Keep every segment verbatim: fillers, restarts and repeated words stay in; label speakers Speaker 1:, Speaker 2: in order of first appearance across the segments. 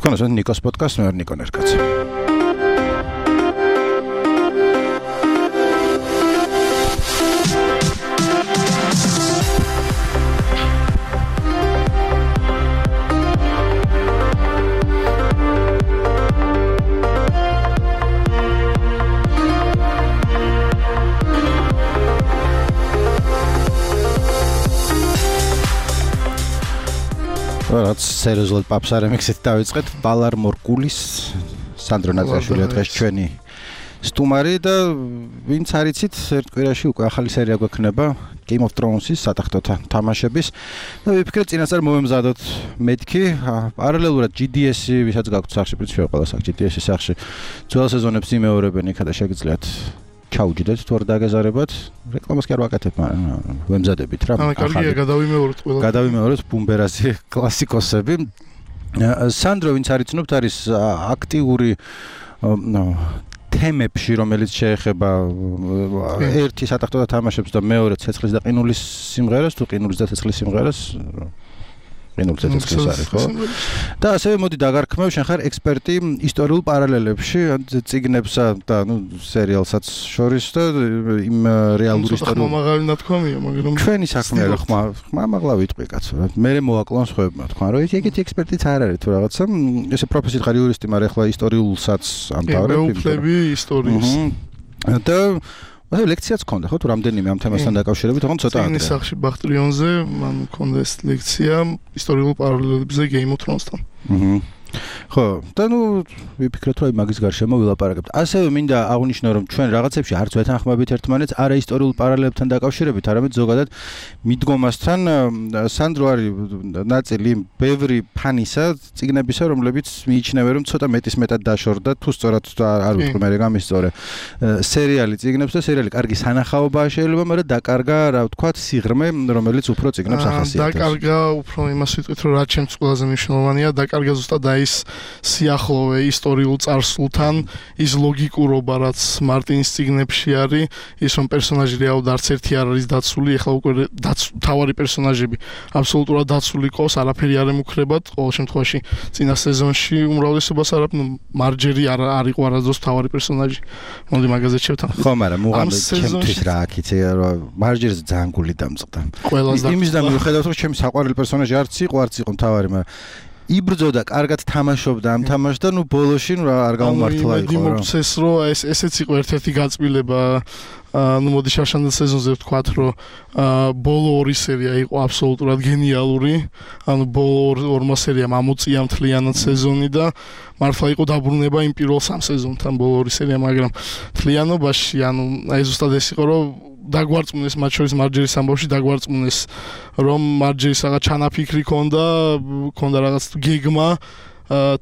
Speaker 1: თქვენს ნიკოს პოდკასტს მე ვარ ნიკო ნერკაცი. რაც სერიოზულად პაპსარემიქსით დავიწყეთ ბალარ მორკულის სანდრო ნაცაშვილი დღეს ჩვენი სტუმარი და ვინც არიცით ერთ კვირაში უკვე ახალი სერია გვექნება Game of Thrones-ის სატახტოთა თამაშების და ვიფიქრეთ წინასწარ მომემზადოთ მეთქი პარალელურად G D S-ი ვისაც გაქვთ სახში პრინციპი ყველა სახში G D S-ის სახში ძველ სეზონებს იმეორებენ იქა და შეგიძლიათ ჩაუჯდეთ თუ არ დაგეზარებათ რეკლამას კი არ ვაკეთებ მაგრამ ვემზადებით რა
Speaker 2: ახალი კარგია გადავიმეოროთ ყველა
Speaker 1: გადავიმეოროთ ბუმბერაზი კლასიკოსები სანდრო ვინც არიცნობთ არის აქტიური თემებში რომელიც შეეხება ერთი სატახტოთა თამაშებს და მეორე ცეცხლის და ყინულის სიმღერას თუ ყინულის და ცეცხლის სიმღერას ყინულის და ცეცხლის არის ხო და ასევე მოდი დაგარქმევ შენ ხარ ექსპერტი ისტორიულ პარალელებში წიგნებსა და ნუ სერიალსაც შორის და იმ რეალური ისტორიული
Speaker 2: ხმამაღალი ნათქვამია მაგრამ
Speaker 1: ჩვენი საქმეა რა ხმა ხმამაღლა ვიტყვი კაცო რა მე მოვაკლონ სხვებმა თქვა რომ ეგეთი ექსპერტიც არ არის თუ რაღაცა ესე პროფესიით ხარ იურისტი მაგრამ ახლა ისტორიულსაც ამთავრებ
Speaker 2: მეუფლები ისტორიის
Speaker 1: და ასე ლექციაც ქონდა ხო თუ რამდენიმე ამ თემასთან დაკავშირებით თქო ცოტა
Speaker 2: წიგნის სახში ბახტრიონზე მან მქონდა ეს ლექცია ისტორიულ პარალელებზე Game of Thrones-თან
Speaker 1: აჰა ხო და ნუ ვიფიქრეთ რომ მაგის გარშემო ვილაპარაკებთ ასევე მინდა აღვნიშნო რომ ჩვენ რაღაცებში არც ვეთანხმებით ერთმანეთს არა ისტორიულ პარალელებთან დაკავშირებით არამედ ზოგადად მიდგომასთან სანდრო არის ნაწილი ბევრი ფანისა წიგნებისა რომლებიც მიიჩნევენ რომ ცოტა მეტის მეტად დაშორდა თუ სწორად არ ვიტყვი მე გამისწორე სერიალი წიგნებს და სერიალი კარგი სანახაობაა შეიძლება მაგრამ დაკარგა რა ვთქვათ სიღრმე რომელიც უფრო წიგნებს ახასიათებს
Speaker 2: დაკარგა უფრო იმას ვიტყვით რომ რაც ჩემს ყველაზე მნიშვნელოვანია დაკარგა ზუსტად აი ის სიახლოვე ისტორიულ წარსულთან ის ლოგიკურობა რაც მარტინის წიგნებში არის ის რომ პერსონაჟი რეალურად არც ერთი არ არის დაცული ეხლა უკვე თავარი პერსონაჟები აბსოლუტურად დაცული ყავს არაფერი არ ემუქრებათ ყოველ შემთხვევაში წინა სეზონში უმრავლესობას არ აქვს მარჯერი არ არისო არასდროს თავარი პერსონაჟი მოდი მაგაზე შევთანხმდით
Speaker 1: ხო მაგრამ მუღამე ჩემთვის რა აქ იცი რომ მარჯერზე ძალიან გული დამწყდა იმის და მიუხედავად რომ ჩემი საყვარელი პერსონაჟი არც იყო არც იყო თავარი მაგრამ იბრძოდა კარგად თამაშობდა ამ თამაშს და ნუ ბოლოში ნუ არ გამომართლა იყო
Speaker 2: რა. მოგცეს რომ ეს ესეც იყო ერთ-ერთი გაწმილება ნუ მოდი შარშანდელ სეზონზე ვთქვათ რომ ბოლო ორი სერია იყო აბსოლუტურად გენიალური. ანუ ბოლო ორმა სერიამ ამოწია მთლიანად სეზონი და მართლა იყო დაბრუნება იმ პირველ სამ სეზონთან ბოლო ორი სერია მაგრამ მთლიანობაში ანუ აი ზუსტად ეს იყო რომ დაგვარწმუნეს მათ შორის მარჯერის ამბავში დაგვარწმუნეს რომ მარჯერის რაღაც ჩანაფიქრი ქონდა ქონდა რაღაც გეგმა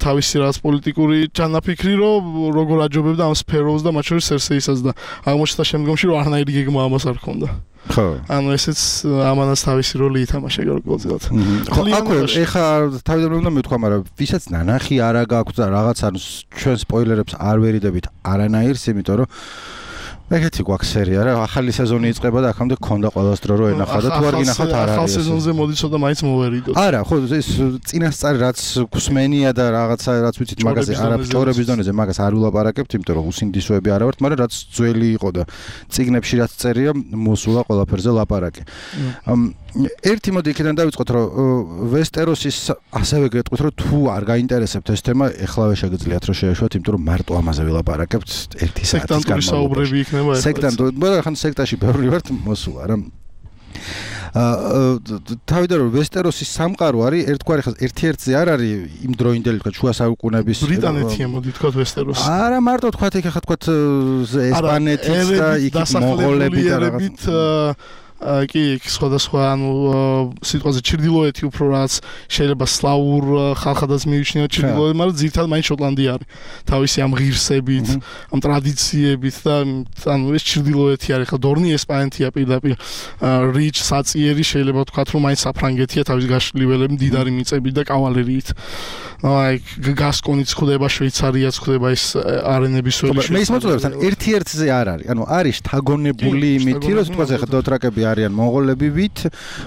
Speaker 2: თავისი რაღაც პოლიტიკური ჩანაფიქრი რომ როგორ აჯობებდა ამ სფეროს და მათ შორის სერსეისაც და აღმოჩნდა შემდგომში რომ არანაირი გეგმა ამას არ ქონდა
Speaker 1: ხო
Speaker 2: ანუ ესეც ამანაც თავისი როლი ითამაშა გარკვეულწილად
Speaker 1: ხო აკვე ეხა თავიდან უნდა მეთქვა მაგრამ ვისაც ნანახი არა გაქვს და რაღაც ანუ ჩვენ სპოილერებს არ ვერიდებით არანაირს იმიტომ რომ ეგეთი გვაქვს სერია რა ახალი სეზონი იწყება და აქამდე გქონდა ყველას დრო რო ენახა და თუ არ გინახავთ არ არის
Speaker 2: ახალ სეზონზე მოდი ცოტა მაინც მოვერიდოთ
Speaker 1: არა ხო ეს წინასწარი რაც გუსმენია და რაღაცა რაც ვიცით მაგაზე არა ჭორების დონეზე მაგას არ ვილაპარაკებთ იმიტომ რომ უსინდისოები არა ვართ მაგრამ რაც ძველი იყო და წიგნებში რაც წერია მოსულა ყველაფერზე ლაპარაკი ერთი მოდი იქიდან დავიწყოთ რომ ვესტეროსის ასევე გეტყვით რომ თუ არ გაინტერესებთ ეს თემა ეხლავე შეგიძლიათ რომ შეეშვათ იმიტომ რომ მარტო ამაზე ვილაპარაკებთ ერთი საათის
Speaker 2: განმავლობაში
Speaker 1: სექტანტო, მაგრამ ხან სექტაში ბევრი ვართ მოსულა რა. აა თავიდან რომ ვესტეროსის სამყარო არის ერთგვარი ხა ერთ-ერთზე არ არის იმ დროინდელი თქვა შუა საუკუნეების
Speaker 2: ბრიტანეთია მოდი თქვა ვესტეროსი.
Speaker 1: არა მარტო თქვა იქ ხა თქვა ესპანეთის და იქ მონღოლები და რაღაც
Speaker 2: კი სხვადასხვა ანუ სიტყვაზე ჩრდილოეთი უფრო რაც შეიძლება სლავურ ხალხადაც მიიჩნევა ჩრდილოეთი მაგრამ ძირითადად მაინც შოტლანდია არის თავისი ამ ღირსებით ამ ტრადიციებით და ანუ ეს ჩრდილოეთი არის ხა დორნი ესპანეთია პირდაპირ რიჩ საწიერი შეიძლება ვთქვათ რომ მაინც საფრანგეთია თავის გაშლიველები მდიდარი მიწებით და კავალერიით აი გასკონიც ხდება შვეიცარიაც ხდება ეს არენების ველი
Speaker 1: მე ის მოწოდებთან ერთ-ერთზე არ არის ანუ არის შთაგონებული იმითი რომ თქვა ხა დოტრაკები არიან მონღოლები ვით,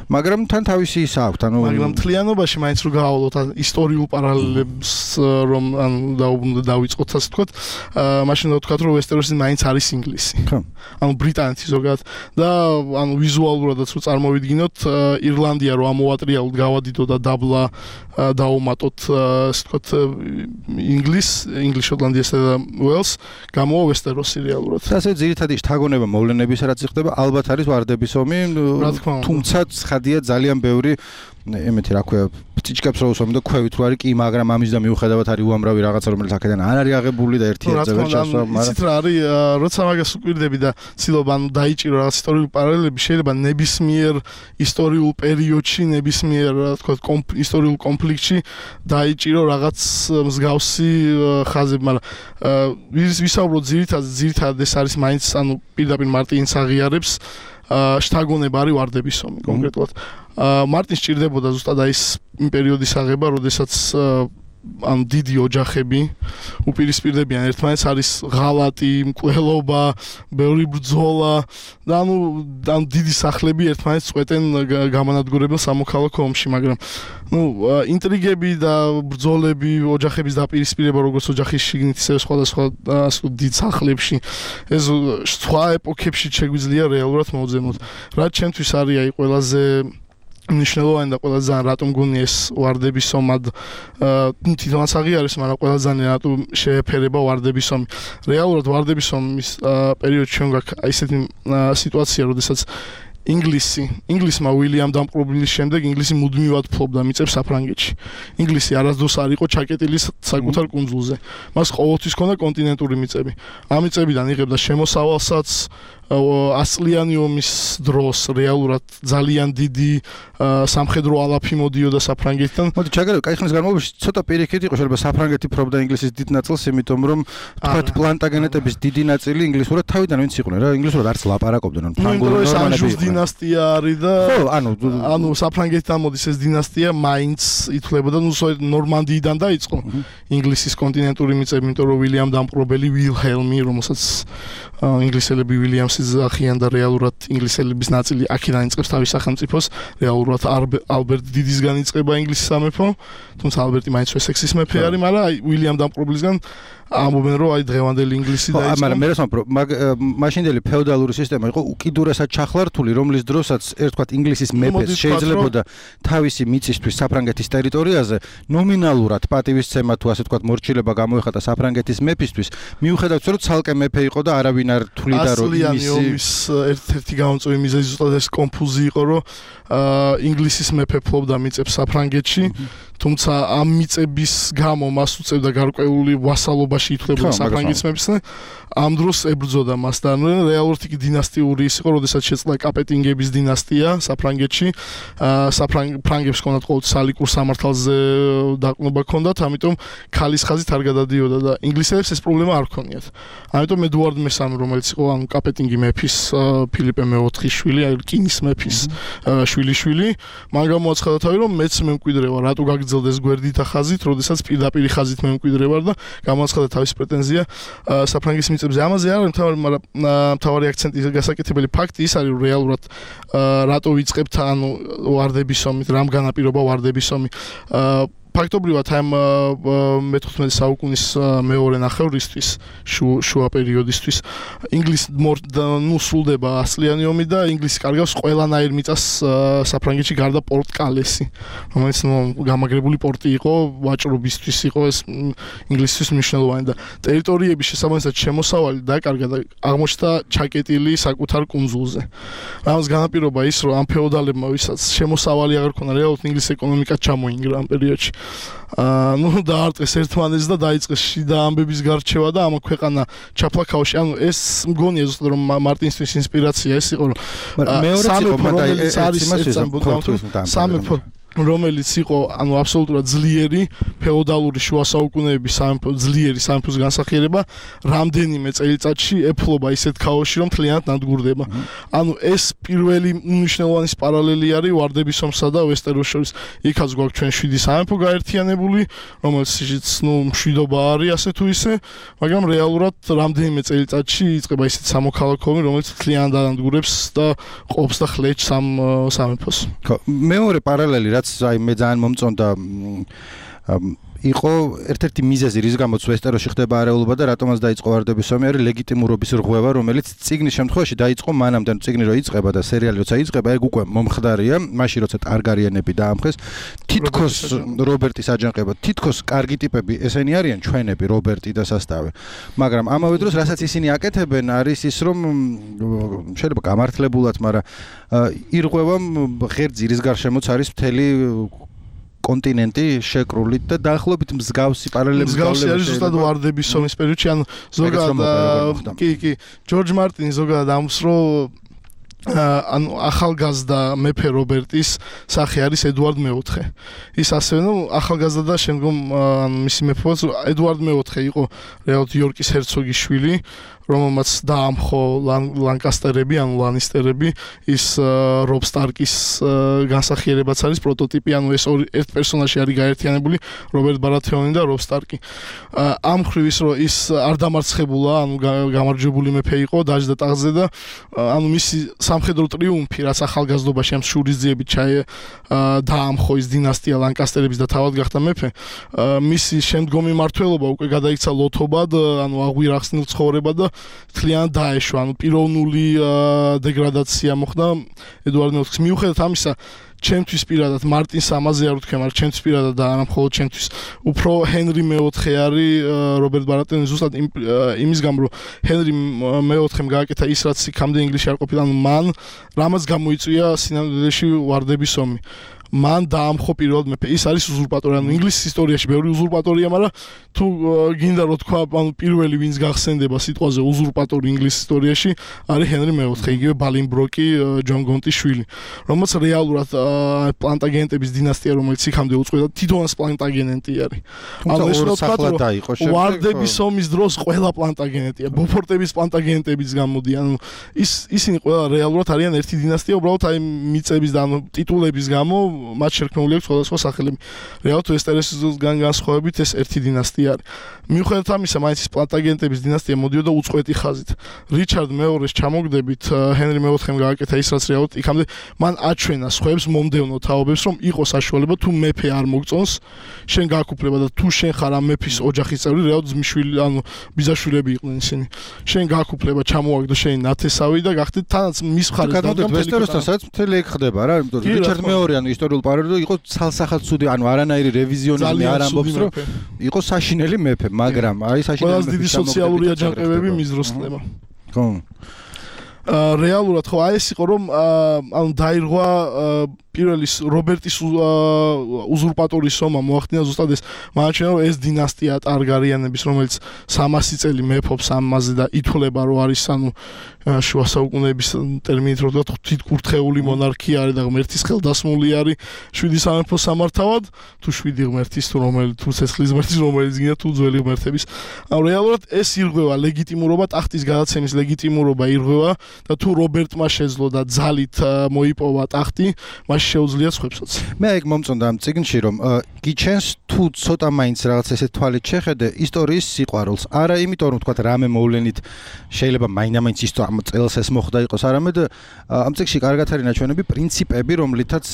Speaker 1: მაგრამ თან თავისი ისა აქვთ, ანუ
Speaker 2: მაგრამ მთლიანობაში მაინც რო გავავლოთ ისტორიულ პარალელებს რომ ანუ დაუბრუნდა დავიწყოთ ასე ვთქვათ, მაშინ და ვთქვათ რომ ვესტეროსი მაინც არის ინგლისი.
Speaker 1: ხო.
Speaker 2: ანუ ბრიტანეთი ზოგადად და ანუ ვიზუალურადაც რო წარმოვიდგინოთ, ირლანდია რო ამოვატრიალოთ, გავადიდო და დაბლა დაუმატოთ ასე ვთქვათ ინგლის, ინგლის შოტლანდიასა და უელს, გამოვა ვესტეროსი რეალურად.
Speaker 1: ასე ძირითადი შთაგონება მოვლენების რაც ხდება, ალბათ არის ვარდების ომი, თუმცა ცხადია ძალიან ბევრი ემეთი რა ქვია ფიჭკებს რო უსვამი და ქვევით რო არის კი, მაგრამ ამის და მიუხედავად არის უამრავი რაღაცა რომელიც აქედან არ არის აღებული და ერთი ერთზე ვერ ჩასვა,
Speaker 2: მაგრამ იცით რა არის, როცა მაგას უკვირდები და ცდილობ ანუ დაიჭირო რაღაც ისტორიული პარალელები, შეიძლება ნებისმიერ ისტორიულ პერიოდში, ნებისმიერ რა თქმა უნდა ისტორიულ კონფლიქტში დაიჭირო რაღაც მსგავსი ხაზები, მაგრამ ვისაუბროთ ძირითადად ძირითადად ეს არის მაინც ანუ პირდაპირ მარტინს აღიარებს შთაგონება არის ვარდების ომი კონკრეტულად. მარტინს ჭირდებოდა ზუსტად აი ეს იმ პერიოდის აღება, როდესაც ან დიდი ოჯახები უპირისპირდებიან ერთმანეთს, არის ღალატი, მკვლელობა, ბევრი ბრძოლა და ანუ ან დიდი სახლები ერთმანეთს წვეტენ გამანადგურებელ სამოქალაქო ომში, მაგრამ ну ინტრიგები და ბრძოლები, ოჯახების დაპირისპირება, როგორც ოჯახის შიგნით, ისე სხვადასხვა ასე დიდ სახლებში, ეს სხვა ეპოქებში შეგვიძლია რეალურად მოვძებნოთ. რაც ჩემთვის არის აი ყველაზე მნიშვნელოვანი და ყველა ძალიან რატომ გონია ეს ვარდების ომად თვითონაც აღიარეს, მაგრამ ყველა ძალიან რატომ შეეფერება ვარდების ომი. რეალურად ვარდების ომის პერიოდში ჩვენ გვაქვს ისეთი სიტუაცია, როდესაც ინგლისი, ინგლისმა უილიამ დამპყრობლის შემდეგ ინგლისი მუდმივად ფლობდა მიწებს საფრანგეთში. ინგლისი არასდროს არ იყო ჩაკეტილი საკუთარ კუნძულზე. მას ყოველთვის ჰქონდა კონტინენტური მიწები. ამ მიწებიდან იღებდა შემოსავალსაც, ასწლიანი ომის დროს რეალურად ძალიან დიდი სამხედრო ალაფი მოდიოდა საფრანგეთიდან.
Speaker 1: მოდი ჩაგერებ, კაი ხნის განმავლობაში ცოტა პირიქით იყო შეიძლება საფრანგეთი ფლობდა ინგლისის დიდ ნაწილს, იმიტომ რომ თქვათ პლანტაგენეტების დიდი ნაწილი ინგლისურად თავიდან ვინც იყვნენ რა, ინგლისურად არც ლაპარაკობდნენ, ან ფრანგულად
Speaker 2: ნორმალები. დინასტია არის და
Speaker 1: ხო, ანუ
Speaker 2: ანუ საფრანგეთიდან მოდის ეს დინასტია, მაინც ითვლებოდა, ნუ ნორმანდიიდან დაიწყო ინგლისის კონტინენტური მიწები, იმიტომ რომ უილიამ დამპყრობელი ვილჰელმი, რომელსაც ინგლისელები უილიამსის ახიან და რეალურად ინგლისელების ნაწილი აქედან იწყებს თავის სახელმწიფოს, რეალურად ალბერტ დიდისგან იწყება ინგლისის სამეფო, თუმცა ალბერტი მაინც ვესექსის მეფე არის, მაგრამ აი უილიამ დამპყრობლისგან ამბობენ რომ აი დღევანდელი ინგლისი დაიწყო.
Speaker 1: მაგრამ მე რასაუბრობ, მაშინდელი ფეოდალური სისტემა იყო უკიდურესად ჩახლართული, რომლის დროსაც ერთგვარ ინგლისის მეფეს შეიძლებოდა თავისი მიწისთვის საფრანგეთის ტერიტორიაზე ნომინალურად პატივისცემა თუ ასე ვთქვათ მორჩილება გამოეხატა საფრანგეთის მეფისთვის, მიუხედავად რომ ცალკე მეფე იყო და არავინ არ თვლიდა რომ
Speaker 2: იმის ერთ-ერთი გამომწვევი მიზეზი ზუსტად ეს კონფუზი იყო, რომ ინგლისის მეფე ფლობდა მიწებს საფრანგეთში, თუმცა ამ მიწების გამო მას უწევდა გარკვეული ვასალობაში ითვლებოდა საფრანგეთის მეფეს. ამ დროს ებრძოდა მას და რეალურად იგი დინასტიური ის იყო, როდესაც შეწყდა კაპეტინგების დინასტია საფრანგეთში. საფრანგებს ჰქონდათ ყოველთვის სალიკურ სამართალზე დაყრდნობა ჰქონდათ, ამიტომ ქალის ხაზით არ გადადიოდა და ინგლისელებს ეს პრობლემა არ ჰქონიათ. ამიტომ ედუარდ მესამე, რომელიც იყო ანუ კაპეტინგი მეფის ფილიპე მეოთხის შვილი, აი რკინის მეფის შვილიშვილი, მან გამოაცხადა თავი რომ მეც მემკვიდრევა, რატო გაგრძელდეს გვერდით ხაზით, როდესაც პირდაპირ ხაზით მემკვიდრევა და გამოაცხადა თავის პრეტენზია საფრანგეთის მიწებზე. ამაზე არ არის მთავარი, მაგრამ მთავარი აქცენტი გასაკეთებელი ფაქტი ის არის, რომ რეალურად რატო ვიწყებთ ანუ ვარდების ომით, რამ განაპირობა ვარდების ომი. ფაქტობრივად ამ მეთერთმეტე საუკუნის მეორე ნახევრისთვის, შუა პერიოდისთვის ინგლისი ნუ სრულდება ასწლიანი ომი და ინგლისი კარგავს ყველანაირ მიწას საფრანგეთში გარდა პორტ კალესი, რომელიც ნუ გამაგრებული პორტი იყო, ვაჭრობისთვის იყო ეს ინგლისისთვის მნიშვნელოვანი და ტერიტორიების შესაბამისად შემოსავალი დაკარგა და აღმოჩნდა ჩაკეტილი საკუთარ კუნძულზე. რამაც განაპირობა ის, რომ ამ ფეოდალებმა, ვისაც შემოსავალი აღარ ქონდა, რეალურად ინგლისის ეკონომიკა ჩამოინგრა ამ პერიოდში. აა ნუ დაარტყეს ერთმანეთს და დაიწყეს შიდა ამბების გარჩევა და ამ ქვეყანა ჩაფლა ქაოსში. ანუ ეს მგონია ზუსტად რომ მარტინსთვის ინსპირაცია ეს იყო, რომ
Speaker 1: მეორე იყო მაგალითად
Speaker 2: არის სამეფო რომელიც იყო ანუ აბსოლუტურად ძლიერი ფეოდალური შუა საუკუნეების სამეფო ძლიერი სამეფოს განსახიერება რამდენიმე წელიწადში ეფლობა ისეთ ქაოსში რომ მთლიანად ნადგურდება. ანუ ეს პირველი მნიშვნელოვანი პარალელი არის ვარდების ომსა და ვესტეროს შორის. იქაც გვაქვს ჩვენ შვიდი სამეფო გაერთიანებული, რომელშიც ნუ მშვიდობა არის ასე თუ ისე, მაგრამ რეალურად რამდენიმე წელიწადში იწყება ისეთ სამოქალაქო ომი, რომელიც მთლიანად ანადგურებს და ყოფს და ხლეჭს ამ სამეფოს.
Speaker 1: მეორე პარალელი რაც აი მე ძალიან მომწონდა იყო ერთ-ერთი მიზეზი რის გამოც ვესტეროში ხდება არეულობა და რატომაც დაიწყო ვარდების ომი არის ლეგიტიმურობის რღვევა რომელიც წიგნის შემთხვევაში დაიწყო მანამდე წიგნი რო იწყება და სერიალი როცა იწყება ეგ უკვე მომხდარია მაშინ როცა ტარგარიენები დაამხეს თითქოს რობერტის აჯანყება თითქოს კარგი ტიპები ესენი არიან ჩვენები რობერტი და სასტავე მაგრამ ამავე დროს რასაც ისინი აკეთებენ არის ის რომ შეიძლება გამართლებულად მაგრამ ირღვევა ღერძი რის გარშემოც არის მთელი კონტინენტი შეკრული და დაახლოებით მსგავსი პარალელები
Speaker 2: მსგავსი არის ზუსტად ვარდების ომის პერიოდში ან ზოგადად კი კი ჯორჯ მარტინი ზოგადად ამს რო ანუ ახალგაზრდა მეფე რობერტის სახე არის ედუარდ მეოთხე. ის ასევე ნუ ახალგაზრდა და შემდგომ ანუ მისი მეფეობაც ედუარდ მეოთხე იყო რეალურად იორკის ჰერცოგის შვილი, რომელმაც დაამხო ლანკასტერები, ანუ ლანისტერები, ის რობ სტარკის განსახიერებაც არის პროტოტიპი, ანუ ეს ორი ერთ პერსონაჟი არის გაერთიანებული, რობერტ ბარათეონი და რობ სტარკი. ამ მხრივ ის რომ ის არ დამარცხებულა, ანუ გამარჯვებული მეფე იყო, დაჯდა ტახტზე და ანუ მისი სამხედრო ტრიუმფი, რაც ახალგაზრდობაში ამ შურისძიებით ჩაე დაამხო ის დინასტია ლანკასტერების და თავად გახდა მეფე. მისი შემდგომი მმართველობა უკვე გადაიქცა ლოთობად, ანუ აღვირახსნილ ცხოვრებად და თლიანად დაეშვა, ანუ პიროვნული დეგრადაცია მოხდა ედუარდ მეოთხეს. მიუხედავად ამისა, ჩემთვის პირადად მარტინს ამაზე არ ვთქვი, მაგრამ ჩემთვის პირადად და არა მხოლოდ ჩემთვის, უფრო ჰენრი მეოთხე არის რობერტ ბარათეონი ზუსტად იმის გამო, რომ ჰენრი მეოთხემ გააკეთა ის, რაც იქამდე ინგლისში არ ყოფილა, ანუ მან რამაც გამოიწვია სინამდვილეში ვარდების ომი. მან დაამხო პირველად მეფე. ის არის უზურპატორი, ანუ ინგლისის ისტორიაში ბევრი უზურპატორია, მაგრამ თუ გინდა რომ თქვა, ანუ პირველი ვინც გახსენდება სიტყვაზე უზურპატორი ინგლისის ისტორიაში არის ჰენრი მეოთხე, იგივე ბალინბროკი, ჯონ გონტის შვილი, რომელსაც რეალურად პლანტაგენეტების დინასტია, რომელიც იქამდე უწყვეტდა, თვითონაც პლანტაგენეტი არის.
Speaker 1: ანუ ეს რა დაიყო
Speaker 2: შემდეგ ვარდების ომის დროს ყველა პლანტაგენეტია, ბოფორტების პლანტაგენეტებიც გამოდიან, ანუ ის ისინი ყველა რეალურად არიან ერთი დინასტია, უბრალოდ აი მიწების და ანუ ტიტულების გამო მათ შერქმეული აქვს სხვადასხვა სახელები. რეალურად ვესტეროსგან განსხვავებით ეს ერთი დინასტია არის. მიუხედავად ამისა, მაინც ის პლანტაგენეტების დინასტია მოდიოდა უწყვეტი ხაზით. რიჩარდ მეორის ჩამოგდებით ჰენრი მეოთხემ გააკეთა ის, რაც რეალურად იქამდე მან აჩვენა სხვებს მომდევნო თაობებს, რომ იყოს საშუალება თუ მეფე არ მოგწონს, შენ გააკუფლება და თუ შენ ხარ ამ მეფის ოჯახის წევრი, რეალურად ძმისშვილი, ანუ ბიძაშვილები იყვნენ ისინი. შენ გააკუფლება, ჩამოვაგდო შენი ნათესავი და გახდეთ თანაც მის მხარეს
Speaker 1: და ვესტეროსთან სადაც მთელი ეგ ხდება რა, იმიტომ რომ რიჩარდ მეორე ანუ ისტორიულ პარალელში იყო ცალსახად ცუდი, ანუ არანაირი რევიზიონიზმი არ ამბობს, რომ იყო საშინელი მეფე, მაგრამ აი საშინელი მეფე
Speaker 2: დიდი სოციალური აჯანყებები მის დროს ხდება.
Speaker 1: ხო.
Speaker 2: რეალურად ხო აი ეს იყო რომ ანუ დაირღვა პირველი რობერტის უზურპატორის ომმა მოახდინა ზუსტად ეს მანჩენა რომ ეს დინასტია ტარგარიანების რომელიც სამასი წელი მეფობს ამაზე და ითვლება რომ არის ანუ შუა საუკუნეების ტერმინით რო ვთქვათ ღვთისკურთხეული მონარქია არის და ღმერთის ხელდასმული არის შვიდი სამეფოს სამართავად თუ შვიდი ღმერთის თუ რომელი თუ ცეცხლის ღმერთის რომელიც გინდა თუ ძველი ღმერთების ანუ რეალურად ეს ირღვევა ლეგიტიმურობა ტახტის გადაცემის ლეგიტიმურობა ირღვევა და თუ რობერტმა შეძლო და ძალით მოიპოვა ტახტი მას შეუძლია სხვებსაც.
Speaker 1: მე ეგ მომწონდა ამ წიგნში რომ გიჩენს თუ ცოტა მაინც რაღაც ესე თვალით შეხედე ისტორიის სიყვარულს. არა იმიტომ რომ თქვა რამე მოვლენით შეიძლება მაინდა-მაინც ის ამ წელს ეს მოხდა იყოს, არამედ ამ წიგნში კარგად არის ნაჩვენები პრინციპები, რომლითაც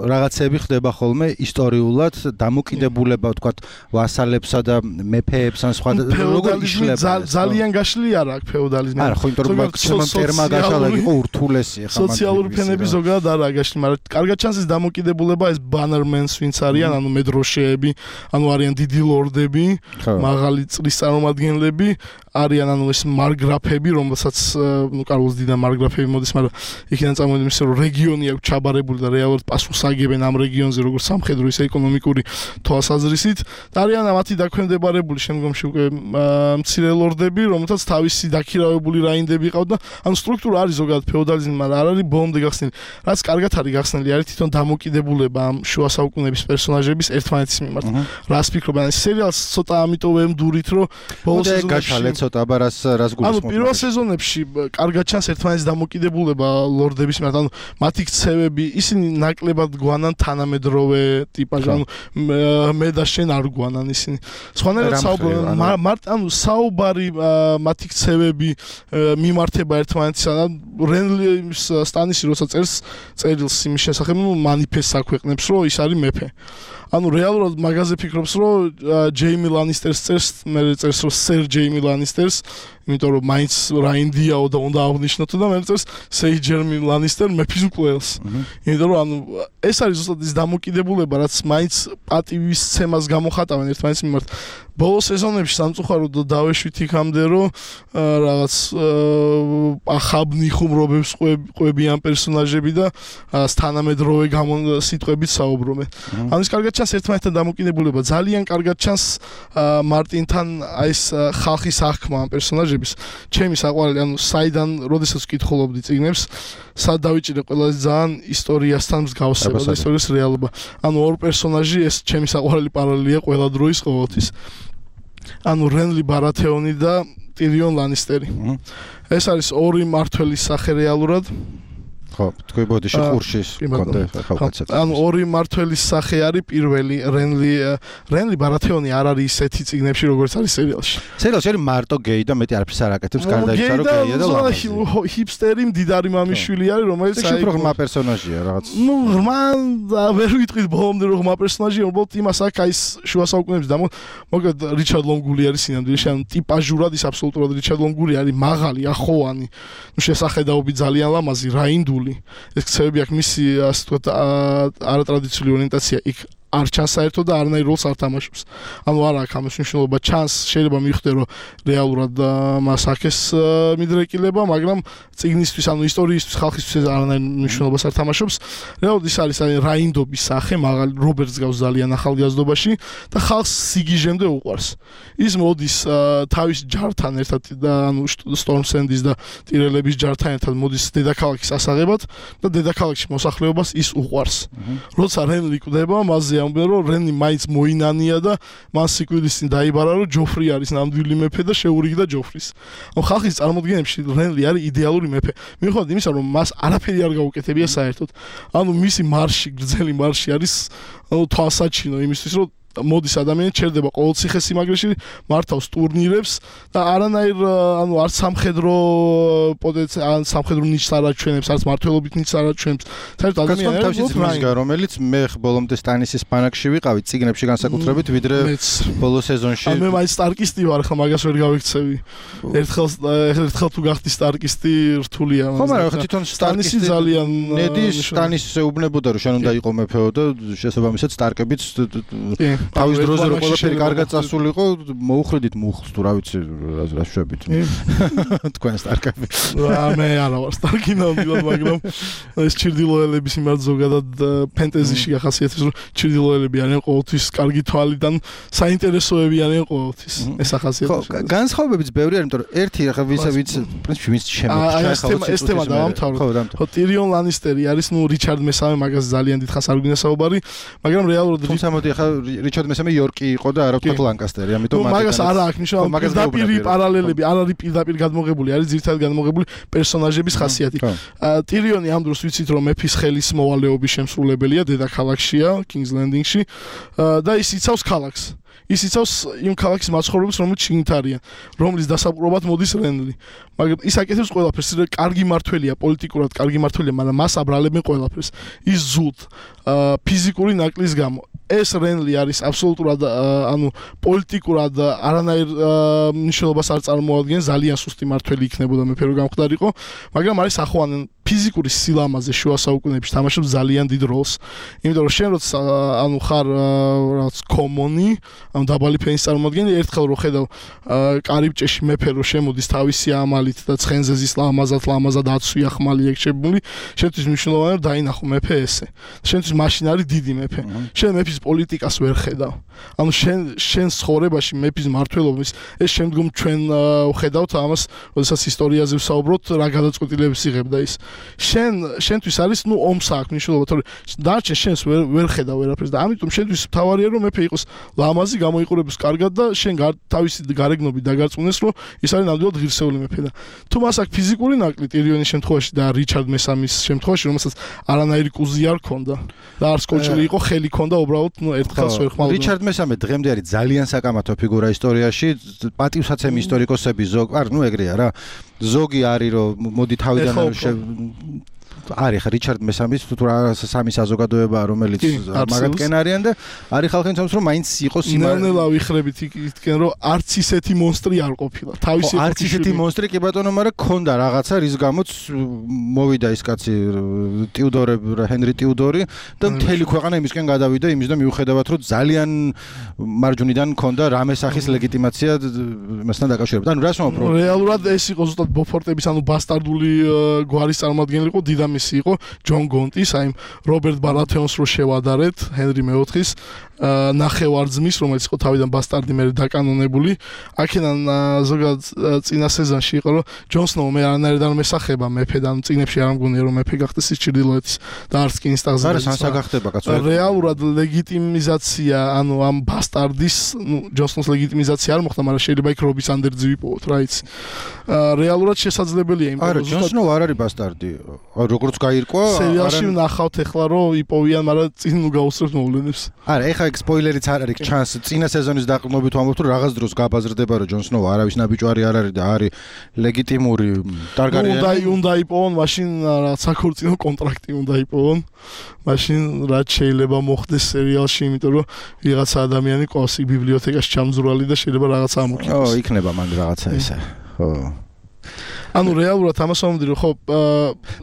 Speaker 1: რაღაცები ხდება ხოლმე ისტორიულად, დამოკიდებულება თქვა ვასალებსა და მეფეებს ან სხვა
Speaker 2: როგორ იშლება. ძალიან გაშლილი არა აქ ფეოდალიზმი.
Speaker 1: არა, ხო იმიტომ რომ ჩემო ტერმა გაშალა იყო ურთულესი
Speaker 2: ახლა. სოციალური ფენები ზოგადად არა გაშლილი, მაგრამ კარგად ჩანს ეს დამოკიდებულება ეს ბანერმენს ვინც არიან, ანუ მედროშეები, ანუ არიან დიდი ლორდები, მაღალი წრის წარმომადგენლები, არიან ანუ ეს მარგრაფები, რომელსაც ნუ კარლოს დიდა მარგრაფები მოდის, მაგრამ იქიდან წამოვიდნენ ისე რომ რეგიონი აქვს ჩაბარებული და რეალურად პასუხს აგებენ ამ რეგიონზე როგორც სამხედრო ისე ეკონომიკური თვალსაზრისით და არიან მათი დაქვემდებარებული შემდგომში უკვე მცირე ლორდები, რომელთაც თავისი დაქირავებული რაინდები ყავდა. ანუ სტრუქტურა არის ზოგადად ფეოდალიზმი, მაგრამ არ არის ბოლომდე გახსნილი. რაც კარგად არის გახსნილი გახსნილი არის თვითონ დამოკიდებულება ამ შუა საუკუნეების პერსონაჟების ერთმანეთის მიმართ. რას ფიქრობ, ან სერიალს ცოტა ამიტომ ვემდურით, რომ ბოლო სეზონებში
Speaker 1: გაშალე ცოტა, აბა რას რას გულისხმობ?
Speaker 2: ანუ პირველ სეზონებში კარგად ჩანს ერთმანეთის დამოკიდებულება ლორდების მიმართ, ანუ მათი ქცევები, ისინი ნაკლებად გვანან თანამედროვე ტიპაჟი, ანუ მე და შენ არ გვანან ისინი. სხვანაირად საუბრობენ, მარტ ანუ საუბარი მათი ქცევები მიმართება ერთმანეთისგან. რენლის სტანისი როცა წერს წერილს იმის შესახებ, ნუ მანიფესტს აქვეყნებს, რომ ის არის მეფე. ანუ რეალურად მაგაზე ფიქრობს, რომ ჯეიმი ლანისტერს წერს, მე წერს, რომ სერ ჯეიმი ლანისტერს, იმიტომ რომ მაინც რაინდიაო და უნდა აღნიშნოთ და მე წერს სეი ჯერმი ლანისტერ მეფის უკვლელს. იმიტომ რომ ანუ ეს არის ზუსტად ის დამოკიდებულება, რაც მაინც პატივის ცემას გამოხატავენ ერთმანეთის მიმართ. ბოლო სეზონებში სამწუხაროდ დავეშვით იქამდე, რომ რაღაც ახაბნი ხუმრობებს ყვებიან პერსონაჟები და თანამედროვე სიტყვებით საუბრობენ. ანუ ის კარგად ჩანს ერთმანეთთან დამოკიდებულება, ძალიან კარგად ჩანს მარტინთან აი ეს ხალხის აღქმა ამ პერსონაჟების. ჩემი საყვარელი, ანუ საიდან, როდესაც ვკითხულობდი წიგნებს, სად დავიჭირე ყველაზე ძალიან ისტორიასთან მსგავსება და ისტორიის რეალობა. ანუ ორ პერსონაჟი ეს ჩემი საყვარელი პარალელია ყველა დროის ყოველთვის. ანუ რენლი ბარათეონი და ტირიონ ლანისტერი. ეს არის ორი მმართველის სახე რეალურად.
Speaker 1: ხო, თქვი ბოდიში ყურშის კონტე ხალხაცად.
Speaker 2: ანუ ორი მმართველის სახე არის პირველი რენლი რენლი ბარათეონი არ არის ისეთი წიგნებში როგორც არის სერიალში.
Speaker 1: სერიალში არის მარტო გეი და მეტი არაფერს არ აკეთებს, გარდა ისა რომ გეია და ლამაზი.
Speaker 2: ჰიპსტერი მდიდარი მამიშვილი არის, რომელიც
Speaker 1: აი უფრო ღრმა პერსონაჟია რაღაც.
Speaker 2: ნუ ღრმა ვერ ვიტყვით ბოლომდე რომ ღრმა პერსონაჟია, უბრალოდ იმას აქ აი შუა საუკუნეების და მოკლედ რიჩარდ ლონგული არის სინამდვილეში, ანუ ტიპაჟურად ის აბსოლუტურად რიჩარდ ლონგული არის, მაღალი, ახოვანი, ნუ შესახედაობით ძალიან ლამაზი, რაინდული. ეს ქცევები აქვს მისი ასე ვთქვათ არატრადიციული ორიენტაცია იქ არ ჩანს საერთოდ და არანაირ როლს არ თამაშობს. ანუ არ აქვს ამის მნიშვნელობა, ჩანს, შეიძლება მივხვდე რომ რეალურად მას აქეს მიდრეკილება, მაგრამ წიგნისთვის, ანუ ისტორიისთვის, ხალხისთვის არანაირ მნიშვნელობას არ თამაშობს. რეალურად ის არის აი რაინდობის სახე, მაღალი რობერტს გავს ძალიან ახალგაზრდობაში და ხალხს სიგიჟემდე უყვარს. ის მოდის თავის ჯართან ერთად და ანუ სტორმსენდის და ტირელების ჯართან ერთად მოდის დედაქალაქის ასაღებად და დედაქალაქში მოსახლეობას ის უყვარს. როცა რენლი კვდება, მასზე ამბობენ რომ რენი მაინც მოინანია და მას სიკვდილის წინ დაიბარა რომ ჯოფრი არის ნამდვილი მეფე და შეურიგდა ჯოფრის. ანუ ხალხის წარმოდგენებში რენლი არის იდეალური მეფე. მიუხედავად იმისა რომ მას არაფერი არ გაუკეთებია საერთოდ. ანუ მისი მარში, გრძელი მარში არის ანუ თვალსაჩინო იმისთვის რომ მოდის ადამიანი ჩერდება ყოველ ციხესიმაგრეში, მართავს ტურნირებს და არანაირ ანუ არც სამხედრო პოტენციალ, ან სამხედრო ნიჭს არ აჩვენებს, არც მართლობით ნიჭს არ აჩვენებს. საერთოდ ადამიანი არის
Speaker 1: მისგა, რომელიც მე ბოლომდე სტანისის ბანაკში ვიყავი, წიგნებში განსაკუთრებით, ვიდრე ბოლო სეზონში.
Speaker 2: მე მაინც სტარკისტი ვარ, ხა მაგას ვერ გავიქცევი. ერთხელ ერთხელ თუ გახდი სტარკისტი, რთულია.
Speaker 1: ხო, მაგრამ ხა თვითონ
Speaker 2: სტანისი ძალიან
Speaker 1: ნედი სტანის ეუბნებოდა რომ შენ უნდა იყო მეფეო და შესაბამისად სტარკებიც თავის დროზე რომ ყველაფერი კარგად წასულიყო, მოუხრიდით მუხლს თუ რა ვიცი, რა შვებით. თქვენ სტარკები.
Speaker 2: მე არა ვარ სტარკი ნამდვილად, მაგრამ ეს ჩირდილოელების მიმართ ზოგადად ფენტეზიში ახასიათებს, რომ ჩირდილოელები არიან ყოველთვის კარგი თვალიდან, საინტერესოები არიან ყოველთვის. ეს ახასიათებს.
Speaker 1: ხო, განსხვავებებიც ბევრი არის, იმიტომ რომ ერთი ახლა ვისა ვიც პრინციპი ვინც შემოჩა
Speaker 2: ახლა ეს თემა დავამთავროთ. ხო, ტირიონ ლანისტერი არის, ნუ რიჩარდ მესამე მაგას ძალიან დიდხანს არ გვინდა საუბარი, მაგრამ რეალურად
Speaker 1: თუმცა მოდი ახლა რიჩარდ მესამე იორკი იყო და არა ვთქვათ ლანკასტერი, ამიტომ
Speaker 2: მაგას არ აქვს მნიშვნელობა, პირდაპირ პარალელები არ არის პირდაპირ გადმოღებული, არის ძირითადად გადმოღებული პერსონაჟების ხასიათი. ტირიონი ამ დროს ვიცით რომ მეფის ხელის მოვალეობის შემსრულებელია, დედაქალაქშია, King's Landing-ში და ის იცავს ქალაქს. ის იცავს იმ ქალაქის მაცხოვრებლებს, რომლებიც შიგნით არიან, რომლის დასაპყრობად მოდის რენლი. მაგრამ ის აკეთებს ყველაფერს, კარგი მმართველია, პოლიტიკურად კარგი მმართველია, მაგრამ მას აბრალებენ ყველაფერს. ის ზულთ ფიზიკური ნაკლის გამო. ეს რენლი არის აბსოლუტურად ანუ პოლიტიკურად არანაირ მნიშვნელობას არ წარმოადგენს, ძალიან სუსტი მმართველი იქნებოდა მეფე რო გამხდარიყო, მაგრამ არის ახوانენ ფიზიკური სილამაზე შუა საუკუნეებში თამაშობს ძალიან დიდ როლს. იმიტომ რომ შენ როცა ანუ ხარ რაღაც კომონი, ანუ დაბალი ფენის წარმოადგენელი, ერთხელ რო ხედავ კარიბჭეში მეფე რო შემოდის თავისი ამალით და ცხენზე ზის ლამაზად ლამაზად აცვია ხმალი ეგშებული, შენთვის მნიშვნელოვანია რომ დაინახო მეფე ესე. შენთვის მაშინ არის დიდი მეფე. შენ მეფის პოლიტიკას ვერ ხედავ. ხედავ. ანუ შენ შენ ცხოვრებაში მეფის მართლობის ეს შემდგომ ჩვენ ვხედავთ ამას, როდესაც ისტორიაზე ვსაუბრობთ, რა გადაწყვეტილებებს იღებდა ის. შენ შენთვის არის ნუ ომს აქვს მნიშვნელობა, თორე დარჩენ შენს ვერ ვერ ხედავ ვერაფერს და ამიტომ შენთვის მთავარია რომ მეფე იყოს ლამაზი, გამოიყურებს კარგად და შენ თავისი გარეგნობით დაგარწმუნდეს რომ ის არის ნამდვილად ღირსეული მეფე და თუ მას აქვს ფიზიკური ნაკლი ტირიონის შემთხვევაში და რიჩარდ მესამის შემთხვევაში, რომელსაც არანაირი კუზი არ ქონდა და არც კოჭლი იყო, ხელი ქონდა, უბრალოდ ნუ ერთხელს ვერ ხმალდა. რიჩარდ
Speaker 1: მესამე დღემდე არის ძალიან საკამათო ფიგურა ისტორიაში, პატივსაცემი ისტორიკოსები ზოგ, არ ნუ ეგრეა რა. ზოგი არის რომ მოდი თავიდან არის ხა რიჩარდ მესამის თუ რა სამი საზოგადოება რომელიც მაგათკენ არიან და არის ხალხი თავს რომ მაინც იყოს
Speaker 2: იმარ ნელ-ნელა ვიხრებით იქითკენ რომ არც ისეთი მონსტრი არ ყოფილა თავისი
Speaker 1: არც ისეთი მონსტრი კი ბატონო მაგრამ ქონდა რაღაცა რის გამოც მოვიდა ის კაცი ტიუდორები ჰენრი ტიუდორი და მთელი ქვეყანა იმისკენ გადავიდა იმის და მიუხედავად რომ ძალიან მარჯვნიდან ქონდა რამე სახის ლეგიტიმაცია მასთან დაკავშირებით ანუ რას ვამბობ
Speaker 2: რეალურად ეს იყო ზუსტად ბოფორტების ანუ ბასტარდული გვარის წარმომადგენელი იყო დიდა მისი იყო ჯონ გონტის, აი რობერტ ბარათეონს რო შევადარეთ, ჰენრი მეოთხის ნახევარძმის, რომელიც იყო თავიდან ბასტარდი მე დაკანონებული. აქედან ზოგადად წინა სეზონში იყო რომ ჯონ სნოუ მე არანაირად არ მესახება მეფედან, წინებში არ მგონია რომ მეფე გახდეს ის ჩრდილოეთის და არც კი ინსტაღზე.
Speaker 1: არა, სანსა გახდება კაცო.
Speaker 2: რეალურად ლეგიტიმიზაცია, ანუ ამ ბასტარდის, ნუ ჯონ სნოუს ლეგიტიმიზაცია არ მოხდა, მაგრამ შეიძლება იქ რობის ანდერძი ვიპოვოთ, რა იცი. რეალურად შესაძლებელია იმ
Speaker 1: არა, ჯონ სნოუ არ არის ბასტარდი. როგორც გაირკვა,
Speaker 2: სერიალში ვნახავთ ეხლა რომ იპოვიან, მაგრამ წინ ნუ გაუსწრებთ მოვლენებს.
Speaker 1: არა, ეხლა ეგ სპოილერიც არ არის ჩანს წინა სეზონის დაყრდნობით ვამბობთ რომ რაღაც დროს გაბაზრდება რომ ჯონ სნოუ არავის ნაბიჯვარი არ არის და არის ლეგიტიმური ტარგარიანი.
Speaker 2: უნდა უნდა იპოვონ, მაშინ რაღაც საქორწინო კონტრაქტი უნდა იპოვონ. მაშინ რაც შეიძლება მოხდეს სერიალში, იმიტომ რომ ვიღაცა ადამიანი ყავს იქ ბიბლიოთეკაში ჩამძვრალი და შეიძლება რაღაცა ამოქნას.
Speaker 1: ო, იქნება მან რაღაცა ესა. ხო.
Speaker 2: ანუ რეალურად ამას ვამბობდი რომ ხო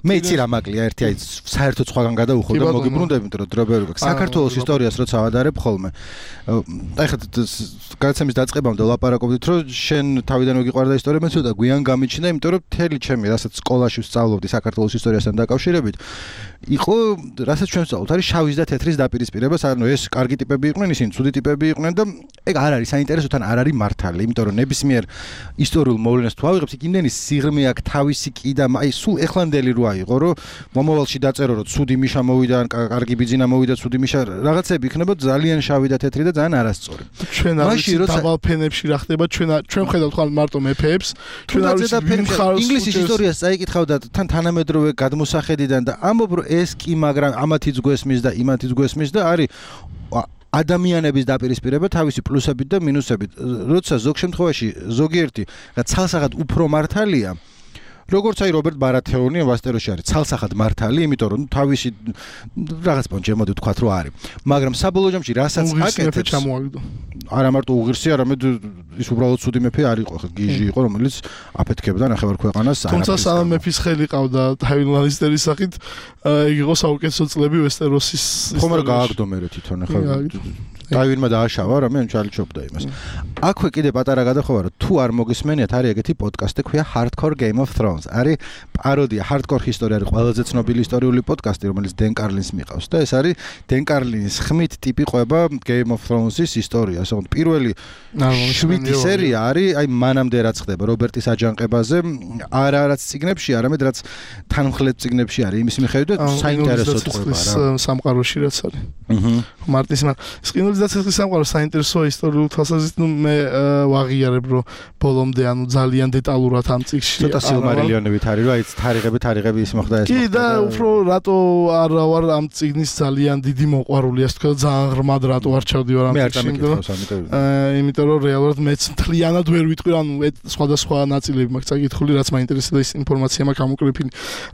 Speaker 1: მე იცი რა მაკლია ერთი აი საერთოდ სხვაგან გადავუხო და მოგიბრუნდები იმიტომ რომ დრობერი გაქვს საქართველოს ისტორიას როცა ავადარებ ხოლმე აი ხა გადაცემის დაწყებამდე ვლაპარაკობდით რომ შენ თავიდან მოგიყვარდა ისტორია მე ცოტა გვიან გამიჩნდა იმიტომ რომ მთელი ჩემი რასაც სკოლაში ვსწავლობდი საქართველოს ისტორიასთან დაკავშირებით იყო რასაც ჩვენ ვსწავლობთ არის შავის და თეთრის დაპირისპირება ანუ ეს კარგი ტიპები იყვნენ ისინი ცუდი ტიპები იყვნენ და ეგ არ არის საინტერესო თან არ არის მართალი იმიტომ რომ ნებისმიერ ისტორიულ მოვლენას თუ ავიღებთ იქ იმდენი სიღრმე აქ თავისი კიდა აი სულ ეხლანდელი რო აიღო რომ მომავალში დაწერო რომ ცუდი მიშა მოვიდა ან კარგი ბიძინა მოვიდა ცუდი მიშა რაღაცები იქნება ძალიან შავი და თეთრი და ძალიან არასწორი
Speaker 2: ჩვენ არის დაბალ ფენებში რა ხდება ჩვენ ჩვენ ხედავთ ხალ მარტო მეფეებს ჩვენ არის
Speaker 1: ინგლისის ისტორიას წაიკითხავ და თან თანამედროვე გადმოსახედიდან და ამბობ რომ ეს კი მაგრამ ამათიც გვესმის და იმათიც გვესმის და არის ადამიანების დაპირისპირება თავისი პლუსებით და მინუსებით. როცა ზოგ შემთხვევაში ზოგიერთი რა ცალსახად უფრო მართალია, როგორც აი რობერტ ბარათეონი ვასტეროში არის ცალსახად მართალი, იმიტომ რომ თავისი რაღაც პონჩი მოდი ვთქვათ რომ არის. მაგრამ საბოლოო ჯამში რასაც აკეთებს არა მარტო უღირსი, არამედ ის უბრალოდ ცუდი მეფე არ იყო, გიჟი იყო, რომელიც აფეთქებდა ნახევარ ქვეყანას.
Speaker 2: თუმცა სამ მეფის ხელი ყავდა ტაივინ ლანისტერის სახით, იგი იყო საუკეთესო წლები ვესტეროსის.
Speaker 1: ხომ არ გააგდო მე თვითონ ახლა ტაივინმა დააშავა, რამე ჩალიჩობდა იმას. აქვე კიდე პატარა გადახოვა რომ თუ არ მოგისმენიათ, არის ეგეთი პოდკასტი ქვია Hardcore Game of Thrones. არის პაროდია Hardcore History არის ყველაზე ცნობილი ისტორიული პოდკასტი, რომელიც დენ კარლინს მიყავს და ეს არის დენ კარლინის ხმით ტიპი ყვება Game of Thrones-ის ისტორიას. ანუ პირველი შვიდი სერია არის აი მანამდე რაც ხდება რობერტის აჯანყებაზე, არა რაც ციგნებში, არამედ რაც თანმხლებ ციგნებში არის. იმის მიხედვით საინტერესო ყვება რა.
Speaker 2: სამყაროში რაც არის. აჰა. მარტის მან სკინოლის დაცეცხლის სამყარო საინტერესო ისტორიულ თვალსაზრისით ნუ მე ვაღიარებ რომ ბოლომდე ანუ ძალიან დეტალურად ამ წიგნში
Speaker 1: ცოტა სილმარილიონებით არის რომ აი თარიღები თარიღები ის მოხდა ეს
Speaker 2: კი და უფრო რატო არ ვარ ამ წიგნის ძალიან დიდი მოყვარული ასე თქვა ძალიან ღრმად რატო არ ჩავდივარ ამ წიგნში იმიტომ რომ რეალურად მეც მთლიანად ვერ ვიტყვი ანუ სხვადასხვა ნაწილები მაქვს წაკითხული რაც მაინტერესებდა ის ინფორმაცია მაქვს ამოკრეფილი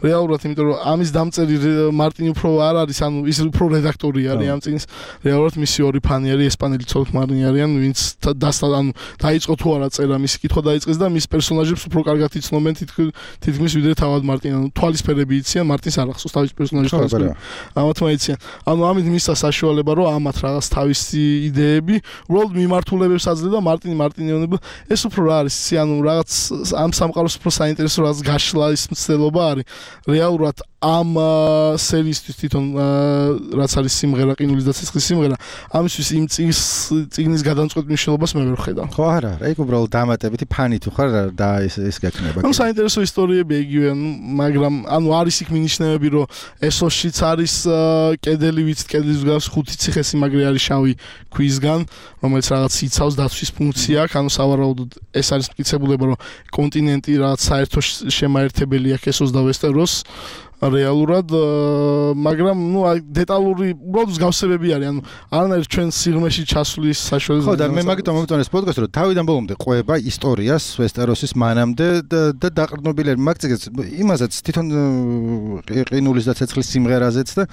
Speaker 2: რეალურად იმიტომ რომ ამის დამწერი მარტინი უფრო არ არის ანუ ის უფრო რედაქტორი არის ამ წიგნის რეალურად მისი ორი ფანი არის ესპანელი ცოლ-ქმარი არიან ვინც ანუ დაიწყო თუ არა წერა, მისი კითხვა დაიწყეს და მის პერსონაჟებს უფრო კარგად იცნობენ თითქმის ვიდრე თავად მარტინ, ანუ თვალისფერები იციან, მარტინს არ ახსოვს თავის პერსონაჟის თვალისფერები. ამათმა იციან. ანუ ამით მისცა საშუალება, რომ ამათ რაღაც თავისი იდეები, უბრალოდ მიმართულებებს აძლევდა მარტინი მარტინიონები. ეს უფრო რა არის, ანუ რაღაც ამ სამყაროს უფრო საინტერესო რაღაც გაშლა ის მცდელობა არის. რეალურად ამ სერიისთვის თვითონ რაც არის სიმღერა, ყინულის და ცეცხლის სიმღერა, ამისთვის იმ წიგნის წიგნის გადამწყვეტ მნიშვნელობას მე ვერ ხედავ.
Speaker 1: ხო არა, ეგ უბრალოდ დამატებითი ფანი თუ ხარ და ეს ეს გექნება.
Speaker 2: ანუ საინტერესო ისტორიები იგივე, მაგრამ ანუ არის იქ მინიშნებები, რომ ესოშიც არის კედელი, ვიცით, კედლის გავს ხუთი ციხესიმაგრე არის შავი ქვისგან, რომელიც რაღაც იცავს დაცვის ფუნქცია აქვს, ანუ სავარაუდოდ ეს არის მტკიცებულება, რომ კონტინენტი რაღაც საერთო შემაერთებელი აქვს ესოს და ვესტეროს. რეალურად, მაგრამ ნუ დეტალური უბრალოდ მსგავსებები არის, ანუ არანაირ ჩვენ სიღრმეში ჩასვლის საშუალება.
Speaker 1: ხო და მე მაგიტომ მომწონს ეს პოდკასტი, რომ თავიდან ბოლომდე ყვება ისტორიას, ვესტეროსის მანამდე და დაყრდნობილები მაგციგეს იმასაც თვითონ ყინულის და ცეცხლის სიმღერაზეც და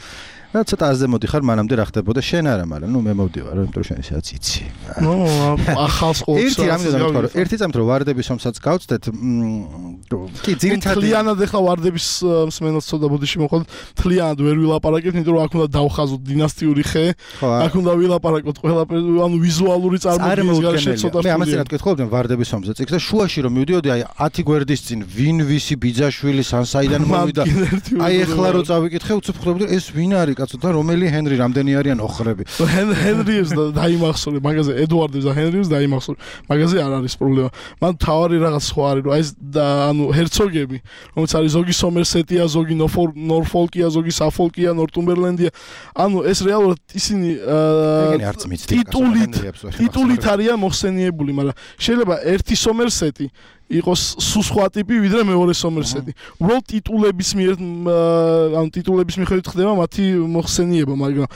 Speaker 1: რა ცოტა აზემოდი ხარ მანამდე რა ხდებოდა შენ არა, მაგრამ ნუ მე მოვდივარ, იმიტომ რომ შენ ისედაც იცი.
Speaker 2: ნუ ახალს ყოველს
Speaker 1: ერთი რამე დამთქვა, რომ ერთი წამით რომ ვარდების ომსაც გავწდეთ, კი ძირითადად
Speaker 2: თლიანად ახლა ვარდების მსმენელს ცოტა ბოდიში მოხდა, თლიანად ვერ ვილაპარაკებთ, იმიტომ რომ აქ უნდა დავხაზოთ დინასტიური ხე, აქ უნდა ვილაპარაკოთ ყველაფერი, ანუ ვიზუალური წარმოდგენის გარშე ცოტა.
Speaker 1: მე ამას რად გეტყობდნენ ვარდების ომზე წიგს და შუაში რომ მივდიოდი, აი ათი გვერდის წინ ვინ ვისი ბიძაშვილი ან საიდან მოვიდა. აი ახლა რო წავიკითხე, უცებ ხვდები ეს ვინ არის კაცო და რომელი ჰენრი, რამდენი არიან ოხრები.
Speaker 2: ჰენრიებს და დაიმახსოვრე, მაგაზე ედუარდებს და ჰენრიებს დაიმახსოვრე. მაგაზე არ არის პრობლემა. მან თავარი რაღაც სხვა არის, რომ აი ეს ანუ ჰერცოგები, რომელიც არის ზოგი სომერსეტია, ზოგი ნორფოლკია, ზოგი საფოლკია, ნორტუმბერლენდია. ანუ ეს რეალურად ისინი ტიტულით ტიტულით არიან მოხსენიებული, მაგრამ შეიძლება ერთი სომერსეტი იყოს სულ სხვა ტიპი ვიდრე მეორე სომერსეტი. უბრალოდ ტიტულების მიერ ანუ ტიტულების მიხედვით ხდება მათი მოხსენება, მაგრამ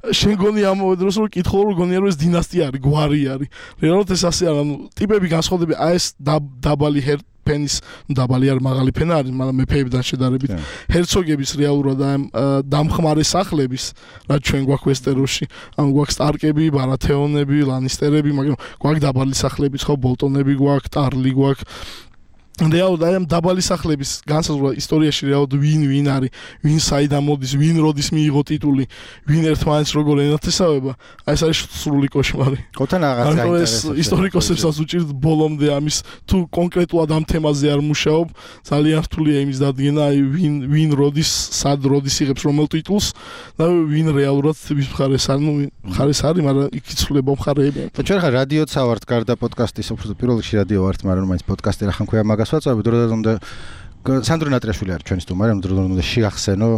Speaker 2: შენ გონი ამ დროს რომ კითხო რომ გონია რომ ეს დინასტია არის, გვარი არის. რეალურად ეს ასე არა, ანუ ტიპები განსხვავდება, აი ეს დაბალი ჰერ ფენის, ნუ დაბალი არ მაღალი ფენა არის, მაგრამ მეფეებთან შედარებით. ჰერცოგების რეალურად ამ დამხმარე სახლების, რაც ჩვენ გვაქვს ვესტეროსში, ანუ გვაქვს სტარკები, ბარათეონები, ლანისტერები, მაგრამ გვაქვს დაბალი სახლებიც, ხო, ბოლტონები გვაქვს, ტარლი გვაქვს. რეალურად აი ამ დაბალი სახლების განსაზღვრა ისტორიაში რეალურად ვინ ვინ არის, ვინ საიდან მოდის, ვინ როდის მიიღო ტიტული, ვინ ერთმანეთს როგორ ენათესავება, აი ეს არის სრული კოშმარი.
Speaker 1: ხოთან რაღაც
Speaker 2: გაინტერესებს. ისტორიკოსებსაც უჭირთ ბოლომდე ამის თუ კონკრეტულად ამ თემაზე არ მუშაობ, ძალიან რთულია იმის დადგენა, აი ვინ ვინ როდის, სად როდის იღებს რომელ ტიტულს და ვინ რეალურად ვის მხარეს არის, ნუ მხარეს არის, მაგრამ იქ იცვლება მხარეები.
Speaker 1: ჩვენ ხა რადიოც ავართ გარდა პოდკასტის, უფრო პირველ რიგში რადიო ვართ, მაგრამ მაინც პოდკასტი რა ხან ქვია მაგას ვაწვევი, დროდადრო უნდა სანდრო ნატრიაშვილი არის ჩვენი სტუმარი, დროდადრო უნდა შეახსენო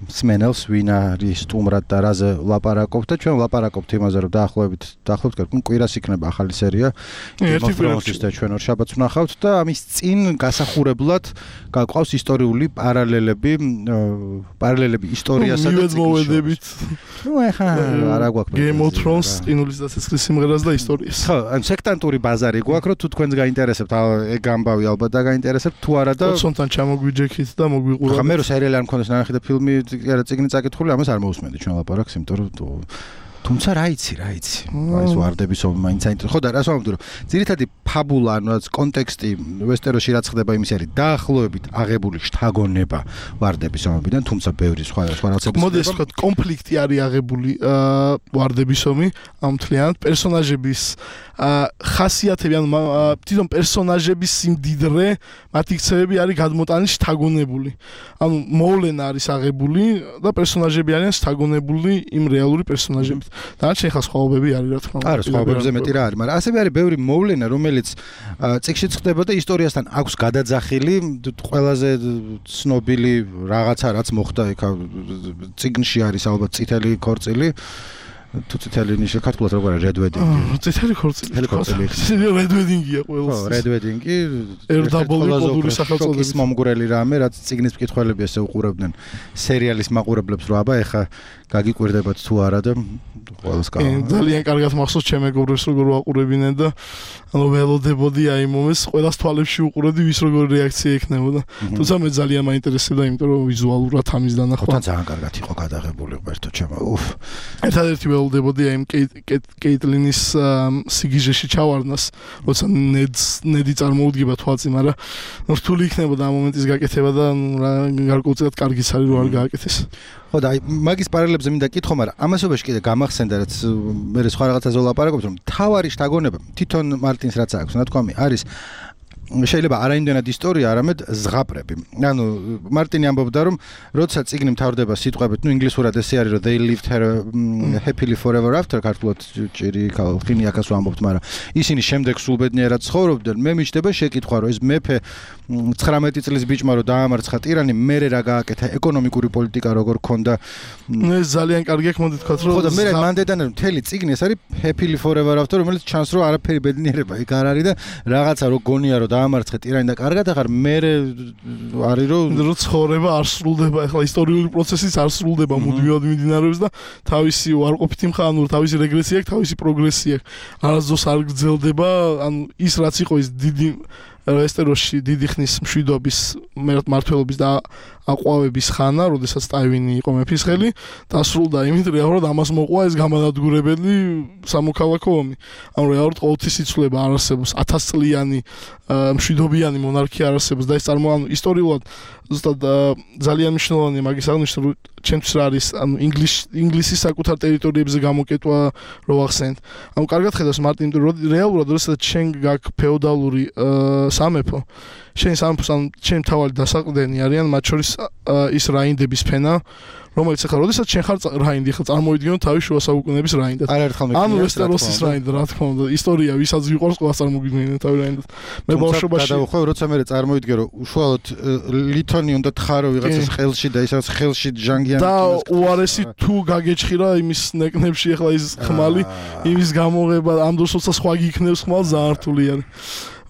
Speaker 1: სმენელს ვინ არის სტუმრად და რაზე ვლაპარაკობთ და ჩვენ ვლაპარაკობთ იმაზე, რომ დაახლოებით დაახლოებით კვირას იქნება ახალი სერია.
Speaker 2: ერთი
Speaker 1: კვირაში და ჩვენ ორ შაბათს ვნახავთ და ამის წინ გასახურებლად გაყავს ისტორიული პარალელები, პარალელები ისტორიასა და
Speaker 2: მოვედებით.
Speaker 1: ნუ ეხა არა გვაქვს
Speaker 2: Game of Thrones, ყინულის და ცეცხლის სიმღერას და ისტორიას.
Speaker 1: ხო, ან სექტანტური ბაზარი გვაქვს, რომ თუ თქვენს გაინტერესებთ, ეგ ამბავი ალბათ დაგაინტერესებთ, თუ არა და
Speaker 2: ოცონთან ჩამოგვიჯექით და მოგვიყურებთ.
Speaker 1: ხა მე რო სერიალი არ მქონდეს ნანახი და ფილმი არა წიგნი წაკითხული, ამას არ მოусმენდი ჩვენ ლაპარაკს, იმიტომ რომ თუმცა რა იცი, რა იცი. აი ეს ვარდების ომი მაინც საინტერესო. ხო და რას ვამბობდი, რომ ძირითადი ფაბულა, ანუ რაც კონტექსტი ვესტეროსში რაც ხდება, იმის არის დაახლოებით აღებული შთაგონება ვარდების ომიდან, თუმცა ბევრი სხვა სხვა რაღაცები.
Speaker 2: მოდი ეს ვთქვათ, კონფლიქტი არის აღებული ვარდების ომი, ამ მთლიანად პერსონაჟების ხასიათები, ანუ თვითონ პერსონაჟების სიმდიდრე, მათი ქცევები არის გადმოტანილი შთაგონებული. ანუ მოვლენა არის აღებული და პერსონაჟები არიან შთაგონებული იმ რეალური პერსონაჟებით. დანარჩენი ხა სხვაობები არის რა თქმა უნდა.
Speaker 1: არა, სხვაობებზე მეტი რა არის, მაგრამ ასევე არის ბევრი მოვლენა, რომელიც წიგნშიც ხდება და ისტორიასთან აქვს გადაძახილი, ყველაზე ცნობილი რაღაცა რაც მოხდა იქ წიგნში არის ალბათ წითელი ქორწილი. თუ წითელი ნიშნა ქართულად როგორ არის Red Wedding?
Speaker 2: წითელი ქორწილი.
Speaker 1: წითელი ქორწილი.
Speaker 2: Red Wedding-ია ყველას.
Speaker 1: ხო, Red Wedding-ი
Speaker 2: ერდაბოლი კოდური სახელწოდების
Speaker 1: მომგვრელი რამე, რაც წიგნის მკითხველები ესე უყურებდნენ სერიალის მაყურებლებს, რომ აბა ეხა გაგიკვირდებათ თუ არა და ყველას კა.
Speaker 2: ძალიან კარგად მახსოვს ჩემ მეგობრებს როგორ ვაყურებინენ და ანუ ველოდებოდი აი მომეს ყველას თვალებში უყურებდი ვის როგორი რეაქცია ექნებოდა. თუმცა მე ძალიან მაინტერესებდა, იმიტომ რომ ვიზუალურად ამის დანახვა.
Speaker 1: ხო, ძალიან კარგად იყო გადაღებული, უერთო ჩემო. უფ.
Speaker 2: ერთადერთი გრძელდებოდი აი კეიტლინის სიგიჟეში ჩავარდნას, როცა ნედს ნედი წარმოუდგება თვალწინ, მაგრამ რთული იქნებოდა ამ მომენტის გაკეთება და გარკვეულწილად კარგიც არის რომ არ გააკეთეს.
Speaker 1: ხო და აი მაგის პარალელებზე მინდა კითხო, მაგრამ ამასობაში კიდე გამახსენდა რაც მე სხვა რაღაცაზე ვლაპარაკობთ, რომ თავარი შთაგონება თვითონ მარტინს რაც აქვს, ნათქვამი არის შეიძლება არაიმდენად ისტორია, არამედ ზღაპრები. ანუ მარტინი ამბობდა, რომ როცა წიგნი მთავრდება სიტყვებით, ნუ ინგლისურად ესე არის, რომ they lived happily forever after, ქართულად ჭირი ხინი აქაც ვამბობთ, მაგრამ ისინი შემდეგ სულბედნიერად ცხოვრობდნენ. მე მიჩნდება შეკითხვა, რომ ეს მეფე ცხრამეტი წლის ბიჭმა რომ დაამარცხა ტირანი, მერე რა გააკეთა, ეკონომიკური პოლიტიკა როგორ ქონდა.
Speaker 2: ეს ძალიან კარგი აქ მოდი თქვათ, რომ
Speaker 1: ხო და მე მანდედან მთელი წიგნი ეს არის happily forever after, რომელიც ჩანს რომ არაფერი ბედნიერება იქ არ არის და რაღაცა რო გონია რომ დაამარცხე ტირანი და კარგად ახარ მე არის რომ
Speaker 2: რომ ცხოვრება არ სრულდება, ახლა ისტორიული პროცესიც არ სრულდება, მუდმივად მიმდინარეობს და თავისი უარყოფითი მხარე, ანუ თავისი რეგრესია აქვს, თავისი პროგრესია აქვს. არასდროს არ გრძელდება, ანუ ის რაც იყო ის დიდი ვესტეროსში დიდი ხნის მშვიდობის მმართველობის და აყვავების ხანა, როდესაც ტაივინი იყო მეფის ხელი, დასრულდა იმით რეალურად ამას მოყვა ეს გამანადგურებელი სამოქალაქო ომი. ანუ რეალურად ყოველთვის იცვლება არ არსებობს ათასწლიანი მშვიდობიანი მონარქია არ არსებობს და ეს წარმოაჩენს ისტორიულად ზუსტად ძალიან მნიშვნელოვანია მაგის აღნიშნა, რომ ჩემთვის რა არის ანუ ინგლისის საკუთარ ტერიტორიებზე გამოკეტვა რო ახსენეთ. ანუ კარგად ხედავს მარტინ, რომ რეალურად როდესაც შენ გაქვს ფეოდალური სამეფო, შენ სამეფოს ან შენ თავი დასაყრდენი არიან, მათ შორის ის რაინდების ფენა, რომელიც ახლა როდესაც შენ ხარ რაინდი, ხა წარმოვიდგინო თავი შუა საუკუნეების რაინდად. ანუ ვესტეროსის რაინდა, რა თქმა უნდა, ისტორია ვისაც ვიყურს ყველას წარმოვიდგინე თავი რაინდად. მე ბავშვობაში
Speaker 1: გადავხვევ, როცა მე წარმოვიდგე, რომ უშუალოდ ლითონი უნდა თხარო ვიღაცას ხელში და ისაც ხელში ჟანგიანი
Speaker 2: და უარესი თუ გაგეჭხირა იმის ნეკნებში ახლა ის ხმალი, იმის გამოღება, ამ დროს როცა სხვა გიქნევს ხმალ ძალიან რთული არის.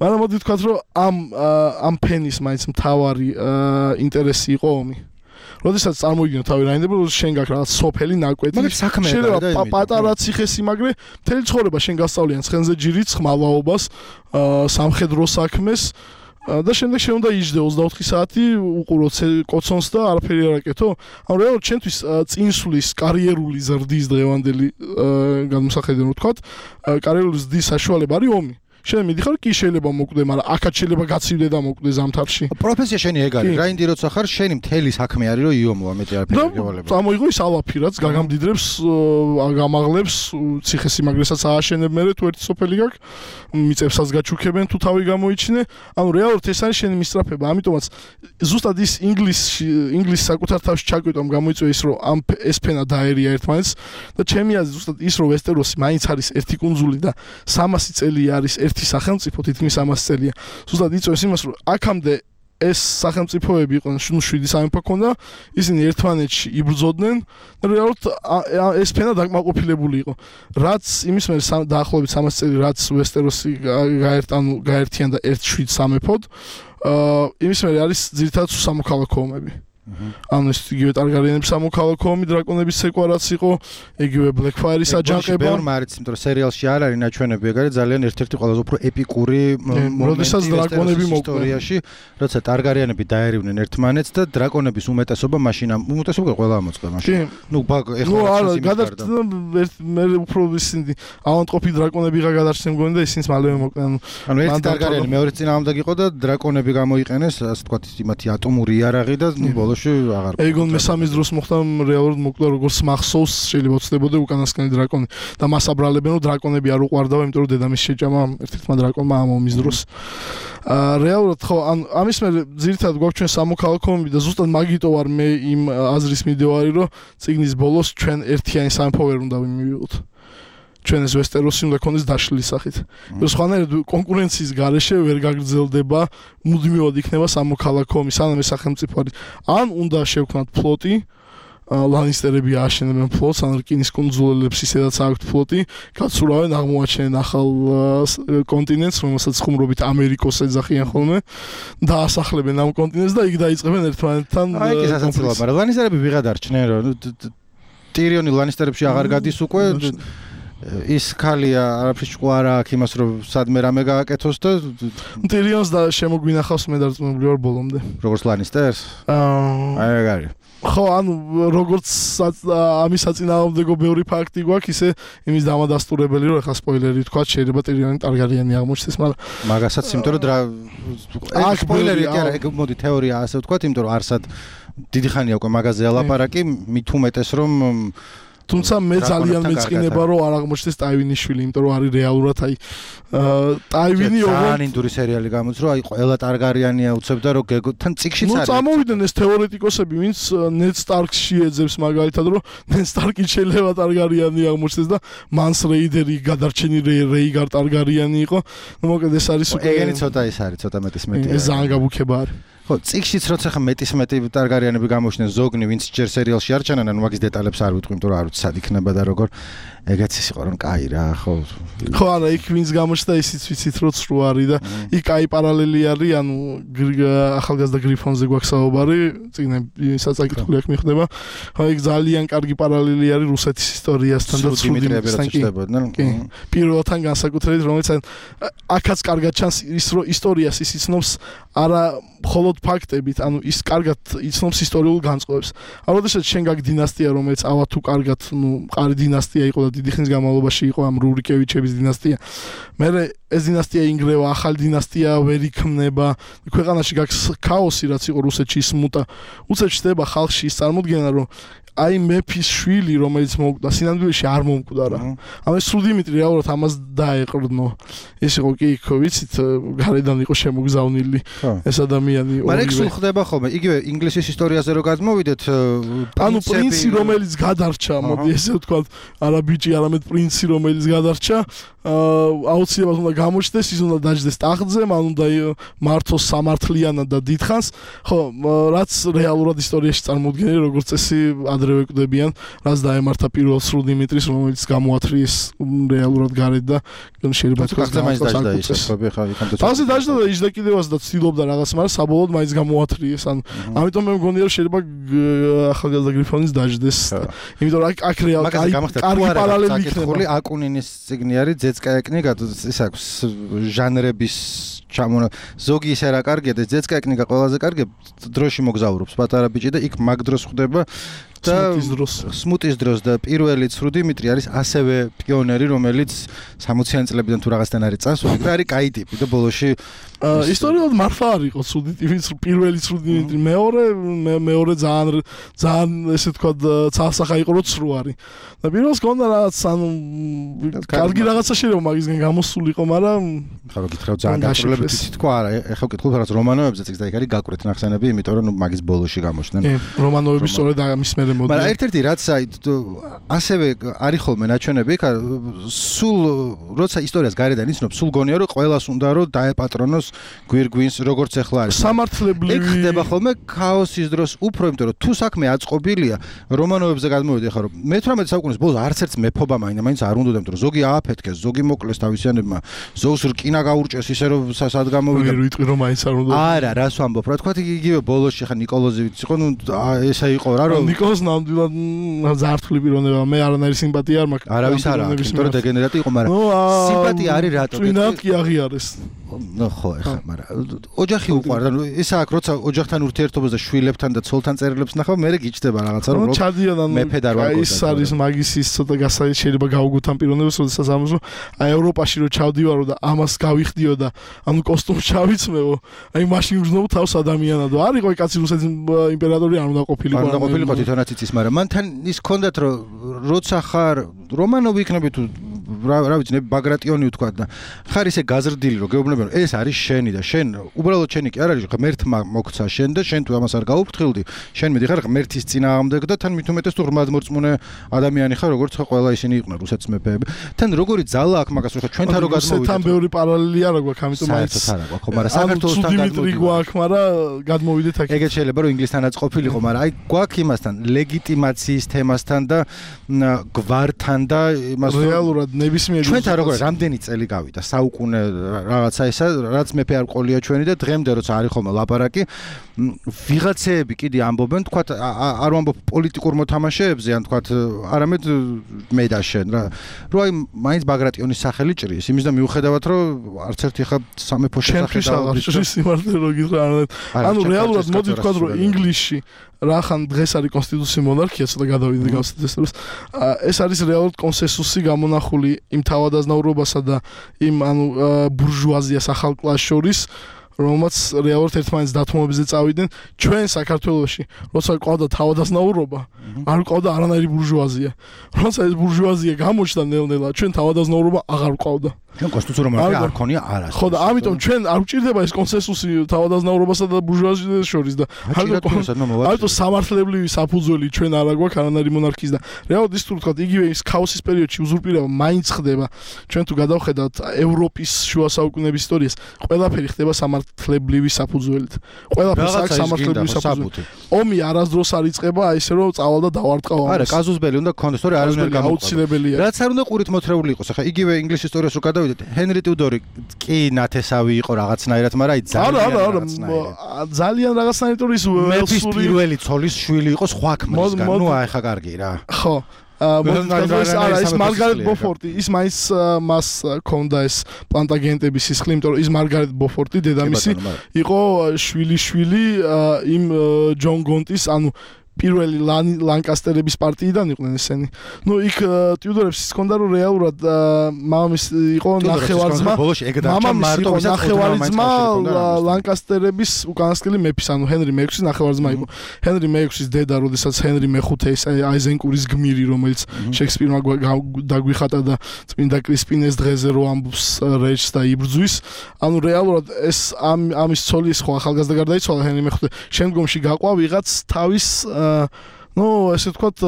Speaker 2: მაგრამ მოდი ვთქვათ, რომ ამ ამ ფენის მაინც მთავარი ინტერესი იყო ომი. როდესაც წარმოვიდგინო თავი რაინდები, რომ შენ გაქვს რაღაც სოფელი ნაკვეთი, შეიძლება პატარა ციხესიმაგრე, მთელი ცხოვრება შენ გასწავლიან ცხენზე ჯირიც, ხმალაობას, სამხედრო საქმეს და შემდეგ შენ უნდა იჯდე ოცდაოთხი საათი უყურო კოცონს და არაფერი არ აკეთო. ანუ რეალურად შენთვის წინსვლის კარიერული ზრდის დღევანდელი გადმოსახედიდან ვთქვათ, კარიერული ზრდის საშუალება არის ომი. შენ მიდიხარ კი შეიძლება მოკვდე, მაგრამ აქაც შეიძლება გაცივდე და მოკვდე ზამთარში.
Speaker 1: პროფესია შენი ეგ არის. რაინდი როცა ხარ, შენი მთელი საქმე არის რომ იომოა, მეტი არაფერი გევალება.
Speaker 2: წამოიღო ის ალაფი, რაც გაგამდიდრებს, გამაღლებს, ციხესიმაგრესაც ააშენებ მერე თუ ერთი სოფელი გაქვს, მიწებსაც გაჩუქებენ თუ თავი გამოიჩინე. ანუ რეალურად ეს არის შენი მისწრაფება. ამიტომაც ზუსტად ის ინგლისში, ინგლისის საკუთარ თავში ჩაკვეთამ გამოიწვია ის, რომ ამ ეს ფენა დაერია ერთმანეთს და ჩემი აზრით ზუსტად ის, რომ ვესტეროსი მაინც არის ერთი კუნძული და სამასი წელი არის ერთი სახელმწიფო, თითქმის ამასი წელია. ზუსტად იწვევს იმას, რომ აქამდე ეს სახელმწიფოები იყვნენ, ნუ შვიდი სამეფო ქონდა, ისინი ერთმანეთში იბრძოდნენ და რეალურად ეს ფენა დაკმაყოფილებული იყო. რაც იმის მერე დაახლოებით სამასი წელი, რაც ვესტეროსი გაერთ, ანუ გაერთიან და ერთ შვიდ სამეფოდ, იმის მერე არის ძირითადად სამოქალაქო ომები. ანუ ეს იგივე ტარგარიენების სამოქალაქო ომი, დრაკონების ცეკვა რაც იყო, იგივე ბლეკფაირის აჯანყება.
Speaker 1: ბევრმა არის, იმიტომ რომ სერიალში არ არის ნაჩვენები, ეგ არის ძალიან ერთ-ერთი ყველაზე უფრო ეპიკური
Speaker 2: მომენტი დრაკონები
Speaker 1: ისტორიაში, როცა ტარგარიენები დაერივნენ ერთმანეთს და დრაკონების უმეტესობა მაშინ უმეტესობა ყველა ამოწყდა მაშინ. ნუ ეხლა
Speaker 2: რა გადარჩა მე უფრო ისინი ავანტყოფი დრაკონები რა გადარჩნენ მგონი და ისინიც მალევე მოკვდნენ.
Speaker 1: ანუ ერთი ტარგარიენი მეორე წინააღმდეგ იყო და დრაკონები გამოიყენეს, ასე ვთქვათ, იმათი ატომური იარაღი და ნუ
Speaker 2: ეგონ მესამის დროს მოხდა რეალურად მოკვდა როგორც მახსოვს, შეიძლება ვწდებოდე უკანასკნელი დრაკონი და მას აბრალებენ, რომ დრაკონები არ უყვარდაო, იმიტომ რომ დედამის შეჭამა ერთ-ერთმა დრაკონმა ამ ომის დროს. აა რეალურად ხო, ან ამის მე ძირითადად გვაქვს ჩვენ სამოქალაქო ომი და ზუსტად მაგიტო ვარ მე იმ აზრის მიდევარი, რომ წიგნის ბოლოს ჩვენ ერთიანი სამეფო ვერ უნდა მივიღოთ. ჩვენ ეს ვესტეროსი უნდა ქონდეს დაშლილი სახით. სხვანაირად კონკურენციის გარეშე ვერ გაგრძელდება, მუდმივად იქნება სამოქალაქო ომი, სანამ ეს სახელმწიფო არის. ან უნდა შევქმნათ ფლოტი, ლანისტერები ააშენებენ ფლოტს, ან რკინის კუნძულებს ისედაც აქვთ ფლოტი, გაცურავენ, აღმოაჩენენ ახალ კონტინენტს, რომელსაც ხუმრობით ამერიკოს ეძახიან ხოლმე, დაასახლებენ ამ კონტინენტს და იქ დაიწყებენ ერთმანეთთან
Speaker 1: კონფლიქტს. აი ეს სასაცილოა, მაგრამ ლანისტერები ვიღად არჩნენ, რომ ტირიონი ლანისტერებში აღარ გადის უკვე ის ქალია არაფრის ჭკუ არა აქვს იმას რომ სადმე რამე გააკეთოს და
Speaker 2: ტირიონს და შემოგვინახავს მე დარწმუნებული ვარ ბოლომდე
Speaker 1: როგორც ლანისტერს
Speaker 2: აა
Speaker 1: აი ეგარი
Speaker 2: ხო ანუ როგორც ამის საწინააღმდეგო ბევრი ფაქტი გვაქვს ისე იმის დამადასტურებელი რომ ახლა სპოილერი თქვა შეიძლება ტირიონი ტარგარიანი აღმოჩნდეს მაგრამ
Speaker 1: მაგასაც იმიტომ რომ აი სპოილერი კი არა ეგ მოდი თეორია ასე ვთქვა იმიტომ რომ არსად დიდი ხანია უკვე მაგაზე ელაპარაკი მით უმეტეს რომ
Speaker 2: თუმცა მე ძალიან მეწყინება რომ არ აღმოჩნდეს ტაივინის შვილი იმიტომ რომ არის რეალურად აი ტაივინი
Speaker 1: ძალიან ინდური სერიალი გამოდის რომ აი ყველა ტარგარიანია უცებდა რომ თან წიგშიც არის
Speaker 2: ნუ წამოვიდნენ ეს თეორეტიკოსები ვინც ნედ სტარკსში ეძებს მაგალითად რომ ნედ სტარკი შეიძლება ტარგარიანი აღმოჩნდეს და მანს რეიდერი გადარჩენი რეიგარ ტარგარიანი იყო ნუ მოკლედ ეს არის
Speaker 1: უკვე ეგენი ცოტა ის არის ცოტა მეტის მეტი
Speaker 2: ეს ძალიან გაბუქება არის
Speaker 1: ხო წიგშიც როცა ხა მეტის მეტი ტარგარიანები გამოჩნდნენ ზოგნი ვინც ჯერ სერიალში არ ჩანან ანუ მაგის დეტალებს არ ვიტყვი იმიტომ რომ არ ვიცი სად იქნება და როგორ ეგეც ის იყო რომ კაი რა ხო
Speaker 2: ხო არა იქ ვინც გამოჩნდა ისიც ვიცით რომ ცრუ არის და იქ კაი პარალელი არის ანუ ახალგაზრდა გრიფონზე გვაქვს საუბარი წიგნები საწაკითხული აქ მიხდება ხო იქ ძალიან კარგი პარალელი არის რუსეთის ისტორიასთან და
Speaker 1: ცრუდიმეტრიებთან ჩნდებოდნენ
Speaker 2: პირველთან განსაკუთრებით რომელიც აქაც კარგად ჩანს ის რომ ისტორიას ის იცნობს არა მხოლოდ ფაქტებით ანუ ის კარგად იცნობს ისტორიულ განწყობებს ანუ როდესაც შენ გაქვს დინასტია რომელიც ავა თუ კარგად ნუ მყარი დინასტია იყო და დიდი ხნის განმავლობაში იყო ამ რურიკევიჩების დინასტია მე ეს დინასტია ინგრევა ახალი დინასტია ვერ იქმნება ქვეყანაში გაქვს ქაოსი რაც იყო რუსეთში სმუტა უცებ ჩდება ხალხში ის წარმოდგენა რომ აი მეფის შვილი რომელიც მოკვდა სინამდვილეში არ მომკვდა რა ამ ეს სულ დიმიტრი რეალურად ამას დაეყრდნო ეს იყო კი იქ ვიცით გარედან იყო შემოგზავნილი ეს ადამიანი
Speaker 1: მაგრამ ეგ სულ ხდება ხოლმე იგივე ინგლისის ისტორიაზე რო გადმოვიდეთ
Speaker 2: ანუ პრინცი რომელიც გადარჩა მოდი ესე ვთქვათ არა ბიჭი არამედ პრინცი რომელიც გადარჩა აუცილებლად უნდა გამოჩნდეს ის უნდა დაჯდეს ტახტზე მან უნდა მართოს სამართლიანად და დიდხანს ხო რაც რეალურად ისტორიაში წარმოუდგენელი როგორც წესი ადრევე კვდებიან რაც დაემართა პირველ სრულ დიმიტრის რომელიც გამოათრიეს რეალურად გარეთ და შეიძლება
Speaker 1: თქვა მაინც დაჯდა ის ხები ხა იქამდე
Speaker 2: ასე დაჯდა და იჯდა კიდევაც და ცდილობდა რაღაც მაგრამ საბოლოოდ მაინც გამოათრიეს ან ამიტომ მე მგონია რომ შეიძლება ახალგაზრდა გრიფონის დაჯდეს იმიტომ რომ აქ რეალურად კარგი პარალელი იქნება
Speaker 1: აკუნინის ციგნი არის ძეცკაეკნი ის აქვს ჟანრების ჩამონა ზოგი ის არა კარგია და ძეცკაეკნიკა ყველაზე კარგია დროში მოგზაურობს პატარა ბიჭი და იქ მაგ დროს ხდება და სმუტის დროს და პირველი ცრუ დიმიტრი არის ასევე პიონერი რომელიც სამოციანი წლებიდან თუ რაღაცთან არის წასული და არის კაი ტიპი და ბოლოში
Speaker 2: ისტორიულად მარხვა არ იყო ცრუ ტიპი პირველი ცრუ დიმიტრი მეორე მეორე ძალიან ძალიან ესე ვთქვათ ცალსახა იყო რომ ცრუ არის და პირველს გონდა რაღაც ანუ კარგი რაღაცა შეიძლება მაგისგან გამოსულიყო მაგრამ
Speaker 1: ხა გითხრა ძალიან გასწრებით თქვა არა ეხლა ვკითხულობ რაღაც რომანოვებზე წიგს და იქ არის გაკვრეთ ნახსენები იმიტომ რომ მაგის ბოლოში გამოჩნდნენ
Speaker 2: რომანოვები სწორედ ამის მერე მოდი
Speaker 1: მაგრამ ერთ-ერთი რაც აი ასევე არის ხოლმე ნაჩვენები იქ სულ როცა ისტორიას გარედან იცნობ სულ გონია რომ ყველას უნდა რომ დაეპატრონოს გვირგვინს როგორც ახლა არის
Speaker 2: სამართლებრივი
Speaker 1: ეგ ხდება ხოლმე ქაოსის დროს უფრო იმიტომ რომ თუ საქმე აწყობილია რომანოვებზე გადმოვიდი ახლა რომ მე-თვრამეტე საუკუნის ბოლოს არც ერთ მეფობა მაინც არ უნდა იმიტომ რომ ზოგი ააფეთქეს ზოგი მოკლეს თავისიანებმა ზოგს რკინა გაურჭეს ისე რომ სად გამოვიდა
Speaker 2: ვერ ვიტყვი რომ მაინც არ უნდა
Speaker 1: არა რას ვამბობ რა თქვა იგივე ბოლოსში ხა ნიკოლოზევიც იყო ნუ ესა იყო რა რომ
Speaker 2: ნიკოლოზ ნამდვილად ზართული პიროვნება მე არანაირი სიმპათია არ მაქვს
Speaker 1: არავის არ აქვს იმიტომ რომ დეგენერატი იყო მაგრამ სიმპათია არის რატო
Speaker 2: წინათ კი აღიარეს
Speaker 1: ნუ ხო ეხა მაგრამ ოჯახი უყვარდა ნუ ისა აქ როცა ოჯახთან ურთიერთობას და შვილებთან და ცოლთან წერილებს ნახავ მე გიჩდება რაღაცა რომ
Speaker 2: რო ჩადიან ანუ
Speaker 1: მეფე და რა
Speaker 2: ის არის მაგის ის ცოტა გასაი შეიძლება გავუგოთ ამ პიროვნებას როდესაც ამბობ აი ევროპაში რო ჩავდივარო და ამას გავიხდიო და ანუ კოსტუმს ჩავიცმევო აი მაშინ ვზნობ თავს ადამიანად არ იყო კაცი რუსეთის იმპერატორი არ უნდა ყოფილიყო
Speaker 1: არ უნდა ყოფილიყო თვითონაც იცის მაგრამ მან თან ის კონდათ რომ როცა ხარ რომანოვი იქნები თუ რა ვიცი ბაგრატიონი ვთქვა და ხარ ისე გაზრდილი რომ გეუბნები რომ ეს არის შენი და შენ უბრალოდ შენი კი არ არის ღმერთმა მოგცა შენ და შენ თუ ამას არ გაუფრთხილდი შენ მიდიხარ ღმერთის წინააღმდეგ და თან მით უმეტეს თუ ღმერთმორწმუნე ადამიანი ხარ როგორც ხო ყველა ისინი იყვნენ რუსეთის მეფეები თან როგორი ძალა აქვს მაგას რომ ჩვენთან რო გადმოვიდეთ
Speaker 2: თან ბევრი პარალელი არა გვაქვს ამიტომ მაინც
Speaker 1: არა გვაქვს ხო მაგრამ საქართველოსთან
Speaker 2: გადმოვიდეთ გვაქვს მაგრამ გადმოვიდეთ აქ
Speaker 1: ეგეც შეიძლება რომ ინგლისთანაც ყოფილიყო მაგრამ აი გვაქვს იმასთან ლეგიტიმაციის თემასთან და გვართან და იმას
Speaker 2: რეალურად ნებისმიერ
Speaker 1: ჩვენთან როგორ რამდენი წელი გავიდა საუკუნე რაღაცა ისა რაც მეფე არ ყოლია ჩვენი და დღემდე როცა არის ხოლმე ლაპარაკი ვიღაცეები კიდე ამბობენ, თქვათ არ ვამბობ პოლიტიკურ მოთამაშეებზე, ან თქვათ არამედ მე და შენ რა. რო აი მაინც ბაგრატიონის სახელი ჭრის, იმის და მიუხედავად რომ არც ერთი ხა სამეფო შესახებ
Speaker 2: დაუბრუნდეს სიმართლე რო გითხრა. ანუ რეალურად მოდი ვთქვათ რომ ინგლისში რახან დღეს არის კონსტიტუციური მონარქია, ცოტა გადავიდე გავსწრებს. ეს არის რეალურად კონსენსუსი გამონახული იმ თავადაზნაურობასა და იმ ანუ ბურჟუაზიას ახალ კლასს შორის, რომელმაც რეალურად ერთმანეთს დათმობებზე წავიდნენ. ჩვენ საქართველოში, როცა ყავდა თავადაზნაურობა, არ ყავდა არანაირი ბურჟუაზია. როცა ეს ბურჟუაზია გამოჩნდა ნელ-ნელა, ჩვენ თავადაზნაურობა აღარ ყავდა.
Speaker 1: ჩვენ კონსტიტუციური მონარქია არ ქონია არასდროს.
Speaker 2: ხო და ამიტომ ჩვენ არ გვჭირდება ეს კონსენსუსი თავადაზნაურობასა და ბურჟუაზიას შორის და ამიტომ სამართლებრივი საფუძველი ჩვენ არ აგვაქვს არანაირი მონარქიის და რეალურად ის თუ ვთქვათ იგივე ის ქაოსის პერიოდში უზურპირება მაინც ხდება. ჩვენ თუ გადავხედავთ ევროპის შუა საუკუნეების ისტორიას, ყველაფერი ხდება სამართლებრივი საფუძველით. ყველაფერს აქვს სამართლებრივი საფუძველი. ომი არასდროს არ იწყება აი ესე რომ წავალ და დავარტყავ ამას.
Speaker 1: არა, კაზუსბელი უნდა გქონდეს, თორე არ უნდა გამოყო.
Speaker 2: აუცილებელია.
Speaker 1: რაც არ უნდა ყურით მოთრეული იყოს. ახლა იგივე ინგლისის ისტორიას რო გადავიდეთ, ჰენრი ტიუდორი კი ნათესავი იყო რაღაცნაირად, მაგრამ აი ძალიან
Speaker 2: რაღაცნაირად. ძალიან რაღაცნაირად ის
Speaker 1: მეფის პირველი ცოლის შვილი იყო სხვა ქმრისგან. ნუ აი ხა კარგი რა.
Speaker 2: ხო. აა ის მარგარეტ ბოფორტი, ის მაინც მას ქონდა ეს პლანტაგენტების სისხლი, იმიტომ რომ ის მარგარეტ ბოფორტი დედამისი იყო შვილი-შვილი იმ ჯონ გონტის, ანუ პირველი ლანკასტერების პარტიიდან იყვნენ ესენი. ნუ იქ ტიუდორებს ის ქონდა რომ რეალურად მამამისი იყო ნახევარძმა. მამამისი იყო ნახევარძმა ლანკასტერების უკანასკნელი მეფის, ანუ ჰენრი მეექვსის ნახევარძმა იყო. ჰენრი მეექვსის დედა, როდესაც ჰენრი მეხუთე ეს აიზენკურის გმირი, რომელიც შექსპირმა დაგვიხატა და წმინდა კრისპინეს დღეზე რო ამბობს რეჯს და იბრძვის. ანუ რეალურად ეს ამის ცოლი ხო ახალგაზრდა გარდაიცვალა ჰენრი მეხუთე. შემდგომში გაყვა ვიღაც თავის ну, ესე ვთქვათ,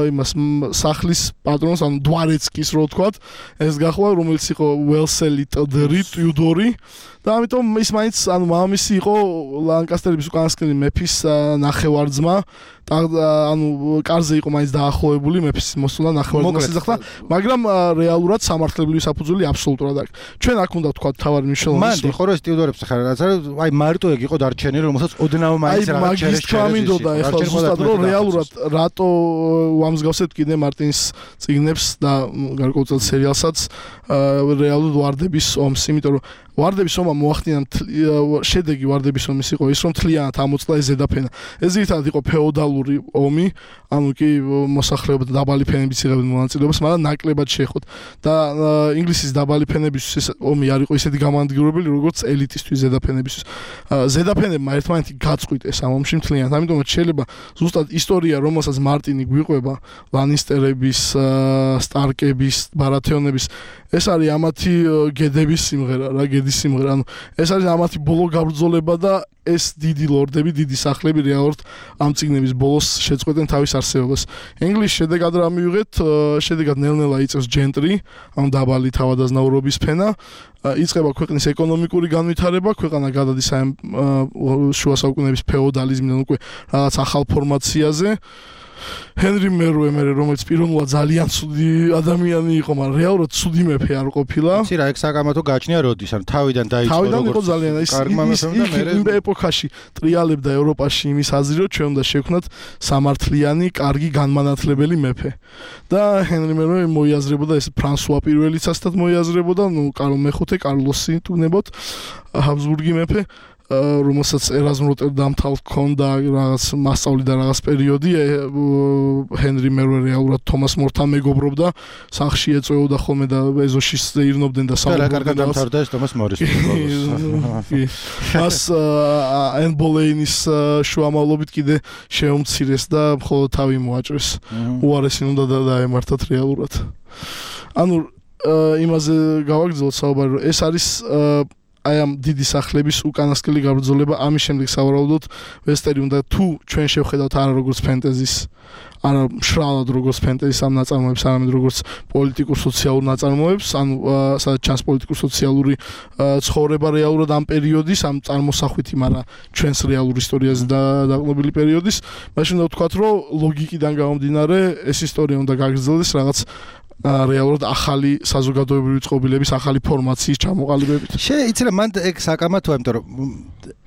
Speaker 2: იმას სახლის პატრონს, ანუ დვარეცკის რო ვთქვათ, ეს გახვა, რომელიც იყო ველსელი ტიუდორი და ამიტომ ის მაინც, ანუ მამამისი იყო ლანკასტერების უკანასკნელი მეფის ნახევარძმა, ანუ კარზე იყო მაინც დაახლოებული მეფის მოსვლა ნახევარძმას ეძახდა, მაგრამ რეალურად სამართლებრივი საფუძველი აბსოლუტურად აქვს. ჩვენ აქ უნდა ვთქვათ თავარი მნიშვნელოვანი.
Speaker 1: მან იყო რომ ეს ტიუდორებს ხარ რაც არის, აი მარტო ეგ იყო დარჩენილი, რომელსაც ოდნავ მაინც რაღაც
Speaker 2: ჩერეს. აი მაგის ჩამინდოდა ეხლა ზუსტად რომ რეალურად რატო ვამსგავსებთ კიდე მარტინის წიგნებს და გარკვეულ სერიალსაც რეალურად ვარდების ომს, იმიტომ რომ ვარდების ომმა მოახდინა შედეგი ვარდების ომის იყო ის რომ თლიანად ამოწყდა ეს ზედაფენა. ეს ძირითადად იყო ფეოდალური ომი, ანუ კი მოსახლეობა და დაბალი ფენებიც იღებდნენ მონაწილეობას, მაგრამ ნაკლებად შეეხოთ. და ინგლისის დაბალი ფენებისთვის ეს ომი არ იყო ისეთი გამანადგურებელი, როგორც ელიტისთვის ზედაფენებისთვის. ზედაფენებმა ერთმანეთი გაწყვიტეს ამ ომში მთლიანად. ამიტომაც შეიძლება ზუსტად ისტორია, რომელსაც მარტინი გვიყვება, ლანისტერების, სტარკების, ბარათეონების, ეს არის ამათი გედების სიმღერა, რა გედის სიმღერა. ანუ ეს არის ამათი ბოლო გაბრძოლება და ეს დიდი ლორდები, დიდი სახლები რეალურად ამ წიგნების ბოლოს შეწყვეტენ თავის არსებობას. ინგლისში შედეგად რა მივიღეთ? შედეგად ნელ-ნელა იწევს ჯენტრი, ანუ დაბალი თავადაზნაურობის ფენა. იწყება ქვეყნის ეკონომიკური განვითარება, ქვეყანა გადადის აი შუა საუკუნეების ფეოდალიზმიდან უკვე რაღაც ახალ ფორმაციაზე. ჰენრი მერუე მერე, რომელიც პიროვნულად ძალიან ცუდი ადამიანი იყო, მაგრამ რეალურად ცუდი მეფე არ ყოფილა.
Speaker 1: იცი რა, ეგ საკამათო გაჩნია როდის, ან თავიდან დაიწყო როგორც
Speaker 2: თავიდან იყო ძალიან ის იმ ეპოქაში ტრიალებდა ევროპაში იმის აზრი, რომ ჩვენ უნდა შევქნათ სამართლიანი, კარგი, განმანათლებელი მეფე. და ჰენრი მერუე მოიაზრებოდა ეს ფრანსუა პირველიცასთან მოიაზრებოდა, ნუ კარლ მეხუთე, კარლოსი თუნებოდ, ჰაბსბურგი მეფე. რომელსაც ერაზმ როტერდამთან ჰქონდა რაღაც მასწავლი და რაღაც პერიოდი ჰენრი მერუე რეალურად თომას მორთან მეგობრობდა სახლში ეწვეოდა ხოლმე და ეზოში ზეირნობდნენ და
Speaker 1: საუბრობდნენ და კარგად დამთავრდა ეს თომას მორის
Speaker 2: მას ენ ბოლეინის შუამავლობით კიდე შეუმცირეს და მხოლოდ თავი მოაჭრეს უარესი უნდა დაემართათ რეალურად ანუ იმაზე გავაგრძელოთ საუბარი რომ ეს არის აი ამ დიდი სახლების უკანასკნელი გაბრძოლება ამის შემდეგ სავარაუდოდ ვესტერი უნდა თუ ჩვენ შევხედავთ არა როგორც ფენტეზის არა მშრალად როგორც ფენტეზის ამ ნაწარმოებს არამედ როგორც პოლიტიკურ სოციალურ ნაწარმოებს ანუ სადაც ჩანს პოლიტიკურ სოციალური ცხოვრება რეალურად ამ პერიოდის ამ წარმოსახვითი მაგრამ ჩვენს რეალურ ისტორიაზე დაყრდნობილი პერიოდის მაშინ უნდა ვთქვათ რომ ლოგიკიდან გამომდინარე ეს ისტორია უნდა გაგრძელდეს რაღაც რეალურად ახალი საზოგადოებრივი წყობილების ახალი ფორმაციის ჩამოყალიბებით.
Speaker 1: შეიძლება იცი რა მან ეგ საკამათოა, იმიტომ რომ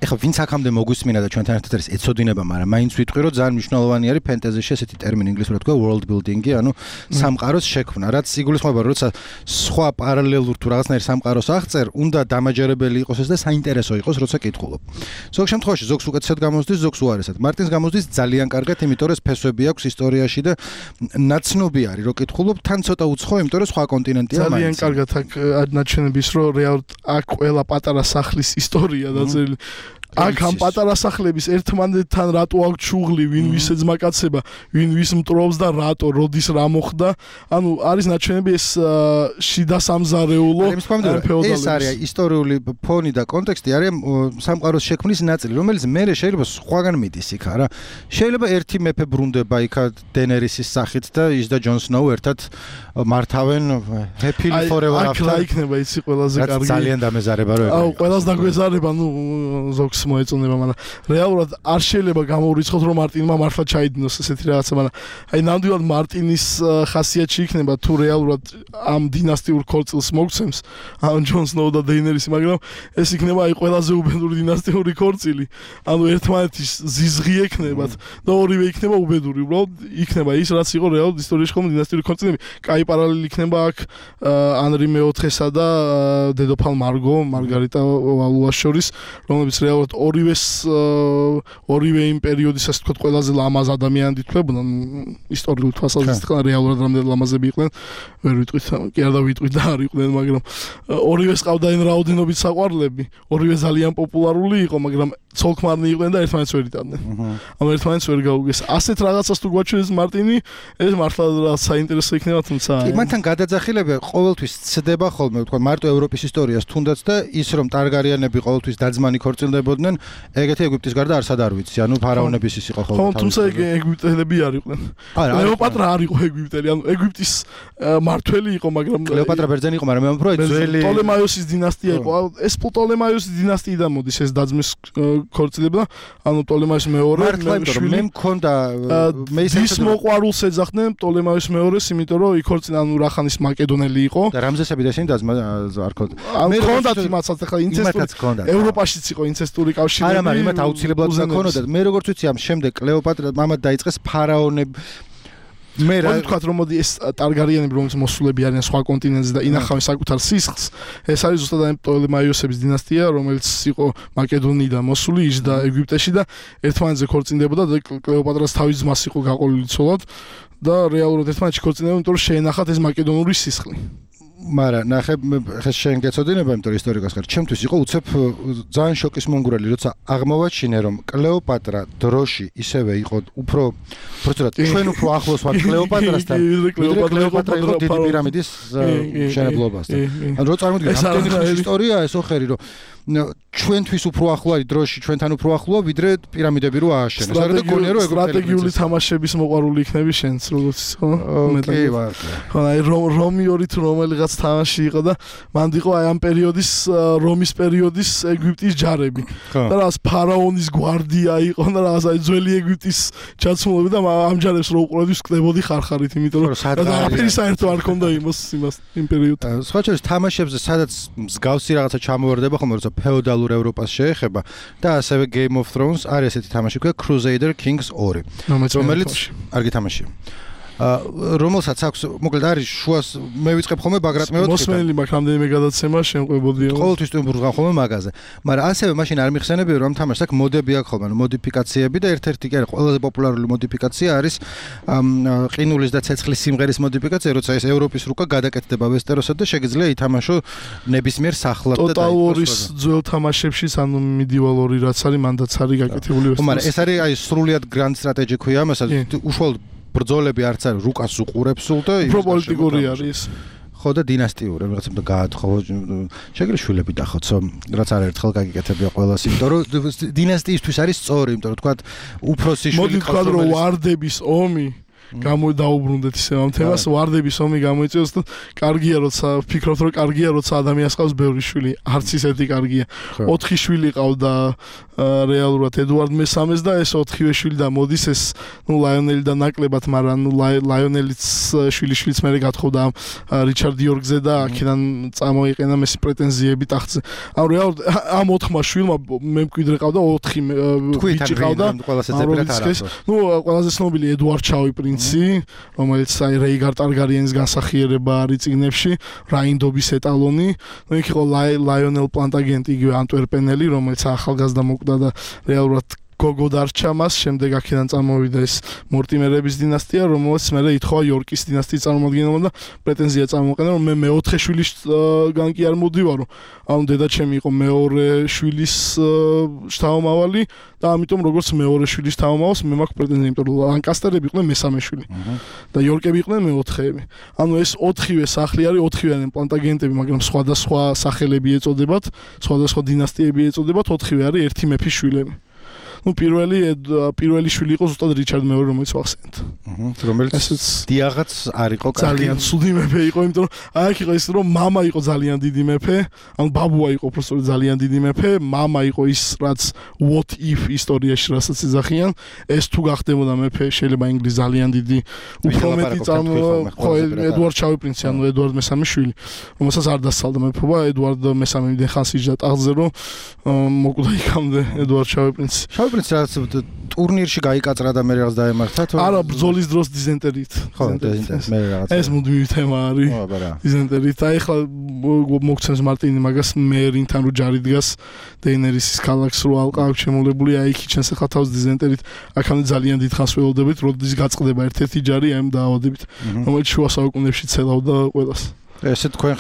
Speaker 1: ეხლა ვინც აქამდე მოგვისმინა და ჩვენთან ერთად არის ეცოდინება, მაგრამ მაინც ვიტყვი რომ ძალიან მნიშვნელოვანი არის ფენტეზიში ესეთი ტერმინი ინგლისურად თქვა world building-ი, ანუ სამყაროს შექმნა, რაც იგულისხმება, როცა სხვა პარალელურ თუ რაღაცნაირ სამყაროს აღწერ, უნდა დამაჯერებელი იყოს ეს და საინტერესო იყოს, როცა კითხულობ. ზოგ შემთხვევაში ზოგს უკეთესად გამოსდის, ზოგს უარესად. მარტინს გამოსდის ძალიან კარგად, იმიტომ რომ ფესვები აქვს ისტორიაში და ნაცნობი არის, რომ კითხულობ, თან ცოტა უცხო, იმიტომ რომ სხვა კონტინენტია მაინც.
Speaker 2: ძალიან კარგად აქ ნაჩვენების, რომ რეალურად აქ ყველა პატარა სახლის ისტორია დაწერილი. აქ ამ პატარა სახლების ერთმანეთთან რატო აქვს ჩუღლი, ვინ ვის ეძმაკაცება, ვინ ვის მტრობს და რატო, როდის რა მოხდა. ანუ არის ნაჩვენები ეს შიდა სამზარეულო
Speaker 1: ფეოდალების. ეს არის ისტორიული ფონი და კონტექსტი არის სამყაროს შექმნის ნაწილი, რომელიც მერე შეიძლება სხვაგან მიდის იქ არა. შეიძლება ერთი მეფე ბრუნდება იქ დენერისის სახით და ის და ჯონ სნოუ ერთად მართავენ happily forever after.
Speaker 2: აქ იქნება იცი ყველაზე კარგი.
Speaker 1: ძალიან დამეზარება რომ ეგ.
Speaker 2: აუ, ყველას დაგვეზარება, ნუ ზოგს მოეწონება, მაგრამ რეალურად არ შეიძლება გამოურიცხოთ რომ მარტინმა მართლა ჩაიდინოს ესეთი რაღაცა, მაგრამ აი ნამდვილად მარტინის ხასიათში იქნება თუ რეალურად ამ დინასტიურ ქორწილს მოგცემს ან ჯონ სნოუ და დეინერისი, მაგრამ ეს იქნება აი ყველაზე უბედური დინასტიური ქორწილი. ანუ ერთმანეთის ზიზღი ექნებათ და ორივე იქნება უბედური. უბრალოდ იქნება ის რაც იყო რეალურად ისტორიაში ხომ დინასტიური ქორწილები. კაი პარალელი იქნება აქ ანრი მეოთხესა და დედოფალ მარგო, მარგარიტა ვალუას შორის, რომლებიც რეალურად ორივეს ორივე იმ პერიოდის ასე ვთქვათ ყველაზე ლამაზ ადამიანად ითვლებოდნენ ისტორიულ თვალსაზრისით, რეალურად რამდენი ლამაზები იყვნენ, ვერ ვიტყვით, კი არ დავიტყვით და არ იყვნენ, მაგრამ ორივეს ყავდაენ რაოდენობით საყვარლები, ორივე ძალიან პოპულარული იყო, მაგრამ ცოლქმარნი იყვნენ და ერთმანეთს ვერ იტანდნენ. ანუ ერთმანეთს ვერ გაუგეს. ასეთ რაღაცას თუ გვაჩვენებს მარტინი, ეს მართლა რაღაც საინტერესო იქნება, თუმცა
Speaker 1: კი, მათთან გადაძახილება ყოველთვის ცდება ხოლმე, ვთქვათ, მარტო ევროპის ისტორიას თუნდაც და ის რომ ტარგარიანები ყოველთვის დაძმანი ქორწილდებოდნენ, ეგეთი ეგვიპტის გარდა არსად არ ვიცი, ანუ ფარაონების ის იყო ხოლმე.
Speaker 2: ხო, თუმცა ეგვიპტელები არ იყვნენ. კლეოპატრა არ იყო ეგვიპტელი, ანუ ეგვიპტის მართველი იყო, მაგრამ
Speaker 1: კლეოპატრა ბერძენი იყო, მაგრამ მე ვამბობ, რომ ძველი
Speaker 2: პტოლემაიოსის დინასტია იყო. ეს პტოლემაიოსის დინასტიიდან მოდის ეს დაძმის ქორწილება, ანუ პტოლემაიოს მეორე
Speaker 1: შვილი. მე მქონდა
Speaker 2: მე ის მოყვარულს ეძახდნენ პტოლემაიოს მეორეს, იმიტომ რომ იქორწინა ანუ რახანის მაკედონელი იყო.
Speaker 1: და რამზესები და ისინი დაძმა არ ქონდა.
Speaker 2: მე მქონდათ იმასაც ახლა ინცესტური ევროპაშიც იყო ინცესტური კავშირი.
Speaker 1: არა, მაგრამ იმათ აუცილებლად გქონოდა. მე როგორც ვიცი, ამ შემდეგ კლეოპატრა მამად დაიწყეს ფარაონები. მე რა
Speaker 2: ვთქვათ რომ მოდი ეს ტარგარიანები რომელიც მოსულები არიან სხვა კონტინენტზე და ინახავენ საკუთარ სისხლს, ეს არის ზუსტად ამ პტოლემაიოსების დინასტია, რომელიც იყო მაკედონიიდან მოსული, იჯდა ეგვიპტეში და ერთმანეთზე ქორწინდებოდა და კლეოპატრას თავის ძმას იყო გაყოლილი ცოლად და რეალურად ერთმანეთში ქორწინდებოდა, იმიტომ რომ შეენახათ ეს მაკედონური სისხლი.
Speaker 1: მარა ნახე ხე შენ გეცოდინება, იმიტომ რომ ისტორიკოს ხარ. ჩემთვის იყო უცებ ძალიან შოკის მონგრელი, როცა აღმოვაჩინე რომ კლეოპატრა დროში ისევე იყო უფრო პროცედურად ჩვენ უფრო ახლოს ვართ კლეოპატრასთან, კლეოპატრა იყო დიდი პირამიდის მშენებლობასთან. ანუ რო წარმოგიდგენ ამდენი ხნის ისტორია ეს ოხერი რომ ჩვენთვის უფრო ახლო არის დროში, ჩვენთან უფრო ახლოა ვიდრე პირამიდები რო ააშენეს.
Speaker 2: და გონია რომ სტრატეგიული თამაშების მოყვარული იქნები შენც როგორც ხო?
Speaker 1: კი ვარ.
Speaker 2: ხო, აი რომიორი თუ რომელიღაც თამაში იყო და მანდ იყო აი ამ პერიოდის რომის პერიოდის ეგვიპტის ჯარები. და რაღაც ფარაონის გვარდია იყო და რაღაც აი ძველი ეგვიპტის ჩაცმულები და ამ ჯარებს რო უყურებდი ვკლებოდი ხარხარით, იმიტომ რომ არაფერი საერთო არ ქონდა იმას იმას იმ პერიოდში.
Speaker 1: სხვა შორის თამაშებზე სადაც მსგავსი რაღაცა ჩამოვარდება ხოლმე, როცა ფეოდალურ ევროპას შეეხება და ასევე Game of Thrones არის ესეთი თამაში ქვია Crusader Kings ორი, რომელიც არ გითამაშია. რომელსაც აქვს მოკლედ არის შუას მე ვიწყებ ხოლმე ბაგრატ მეოთხე
Speaker 2: მოსმენილი მაქვს რამდენიმე გადაცემა შემყვებოდიო
Speaker 1: ყოველთვის ტვინბურგან ხოლმე მაგაზე, მაგრამ ასევე მაშინ არ მიხსენებია რომ თამაშს აქვს მოდები აქვს ხოლმე, მოდიფიკაციები და ერთ-ერთი კი არის ყველაზე პოპულარული მოდიფიკაცია არის ყინულის და ცეცხლის სიმღერის მოდიფიკაცია, როცა ეს ევროპის რუკა გადაკეთდება ვესტეროსად და შეგიძლია ითამაშო ნებისმიერ სახლად და
Speaker 2: Total War-ის ძველ თამაშებში, ანუ Medieval ორი რაც არის მანდაც არის გაკეთებული
Speaker 1: ვესტეროსი. მაგრამ ეს არის აი სრულიად Grand Strategy ქვია, ამასაც უშუალოდ ბრძოლები არც არის, რუკას უყურებს სულ და
Speaker 2: უფრო პოლიტიკური არის.
Speaker 1: ხო და დინასტიური, რაღაცა და გაათხო შეგიძლია შვილები დახოცო, რაც არ ერთხელ გაგიკეთებია ყველას, იმიტომ რომ დინასტიისთვის არის სწორი, იმიტომ რომ თქვა უფროსი შვილი
Speaker 2: მოდი თქვა რომ ვარდების ომი გამოდაუბრუნდეთ ისე ამ თემას, ვარდების ომი გამოიწვიოს და კარგია როცა ვფიქრობთ რომ კარგია როცა ადამიანს ყავს ბევრი შვილი, არც ისეთი კარგია. ოთხი შვილი ყავდა რეალურად ედუარდ მესამეს და ეს ოთხივე შვილი და მოდის ეს ნუ ლაიონელი და ნაკლებად, მაგრამ ნუ ლაიონელიც შვილიშვილიც მერე გათხოვდა ამ რიჩარდ იორგზე და აქედან წამოიყენა მესი პრეტენზიები ტახტზე. ანუ რეალურად ამ ოთხმა შვილმა მე მკვიდრე ყავდა ოთხი ბიჭი ყავდა. ნუ ყველაზე ცნობილი ედუარდ ჩაუი პრინცი, რომელიც აი რეიგარ ტარგარიენის განსახიერება არის წიგნებში, რაინდობის ეტალონი. ნუ იქ იყო ლაიონელ პლანტაგენტი, იგივე ანტვერპენელი, რომელიც ახალგაზრდა მოკვდა და რეალურად გოგო დარჩა მას, შემდეგ აქედან წამოვიდა ეს მორტიმერების დინასტია, რომელიც მერე ითხოვა იორკის დინასტიის წარმომადგენელმა და პრეტენზია წამოყენა, რომ მე მეოთხე შვილისგან კი არ მოდივარო. ანუ დედაჩემი იყო მეორე შვილის შთამომავალი და ამიტომ როგორც მეორე შვილის შთამომავალს მე მაქვს პრეტენზია, იმიტომ რომ ლანკასტერები იყვნენ მესამე შვილი და იორკები იყვნენ მეოთხეები. ანუ ეს ოთხივე სახლი არის ოთხივე პლანტაგენტები, მაგრამ სხვადასხვა სახელები ეწოდებათ, სხვადასხვა დინასტიები ეწოდებათ, ოთხივე არის ერთი მეფის შვილები. ნუ პირველი პირველი შვილი იყო ზუსტად რიჩარდ მეორე, რომელიც ვახსენეთ.
Speaker 1: რომელიც დიაღაც არ იყო კარგი.
Speaker 2: ძალიან ცუდი მეფე იყო, იმიტომ რომ აქ იყო ის რომ მამა იყო ძალიან დიდი მეფე, ანუ ბაბუა იყო უბრალოდ ძალიან დიდი მეფე, მამა იყო ის რაც what if ისტორიაში რასაც ეძახიან, ეს თუ გახდებოდა მეფე, შეიძლება ინგლისი ძალიან დიდი უფრო მეტი წამო ხო ედუარდ ჩაუი პრინცი, ანუ ედუარდ მესამე შვილი, რომელსაც არ დასწალდა მეფობა, ედუარდ მესამე მიდენ ხანს იჯდა ტახტზე, რომ მოკვდა იქამდე ედუარდ ჩაუი პრინცი. ჩაუი პრინცი რაც ტურნირში გაიკაწრა და მე რაღაც დაემართა თუ არა ბრძოლის დროს დიზენტერით.
Speaker 1: ხო დიზენტერით მე რაღაც
Speaker 2: ეს მუდმივი თემა არის.
Speaker 1: ხო აბარა
Speaker 2: დიზენტერით. აი ხლა მოგცემს მარტინი მაგას მერინთან რო ჯარი დგას დეინერისის ქალაქს რო ალყავ შემოლებული, აი იქ ჩენს ხა თავს დიზენტერით. აქამდე ძალიან დიდ ხანს ველოდებით, როდის გაწყდება ერთ-ერთი ჯარი აი ამ დაავადებით, რომელიც შუა საუკუნეებში ცელავდა ყველას.
Speaker 1: ესე თქვენ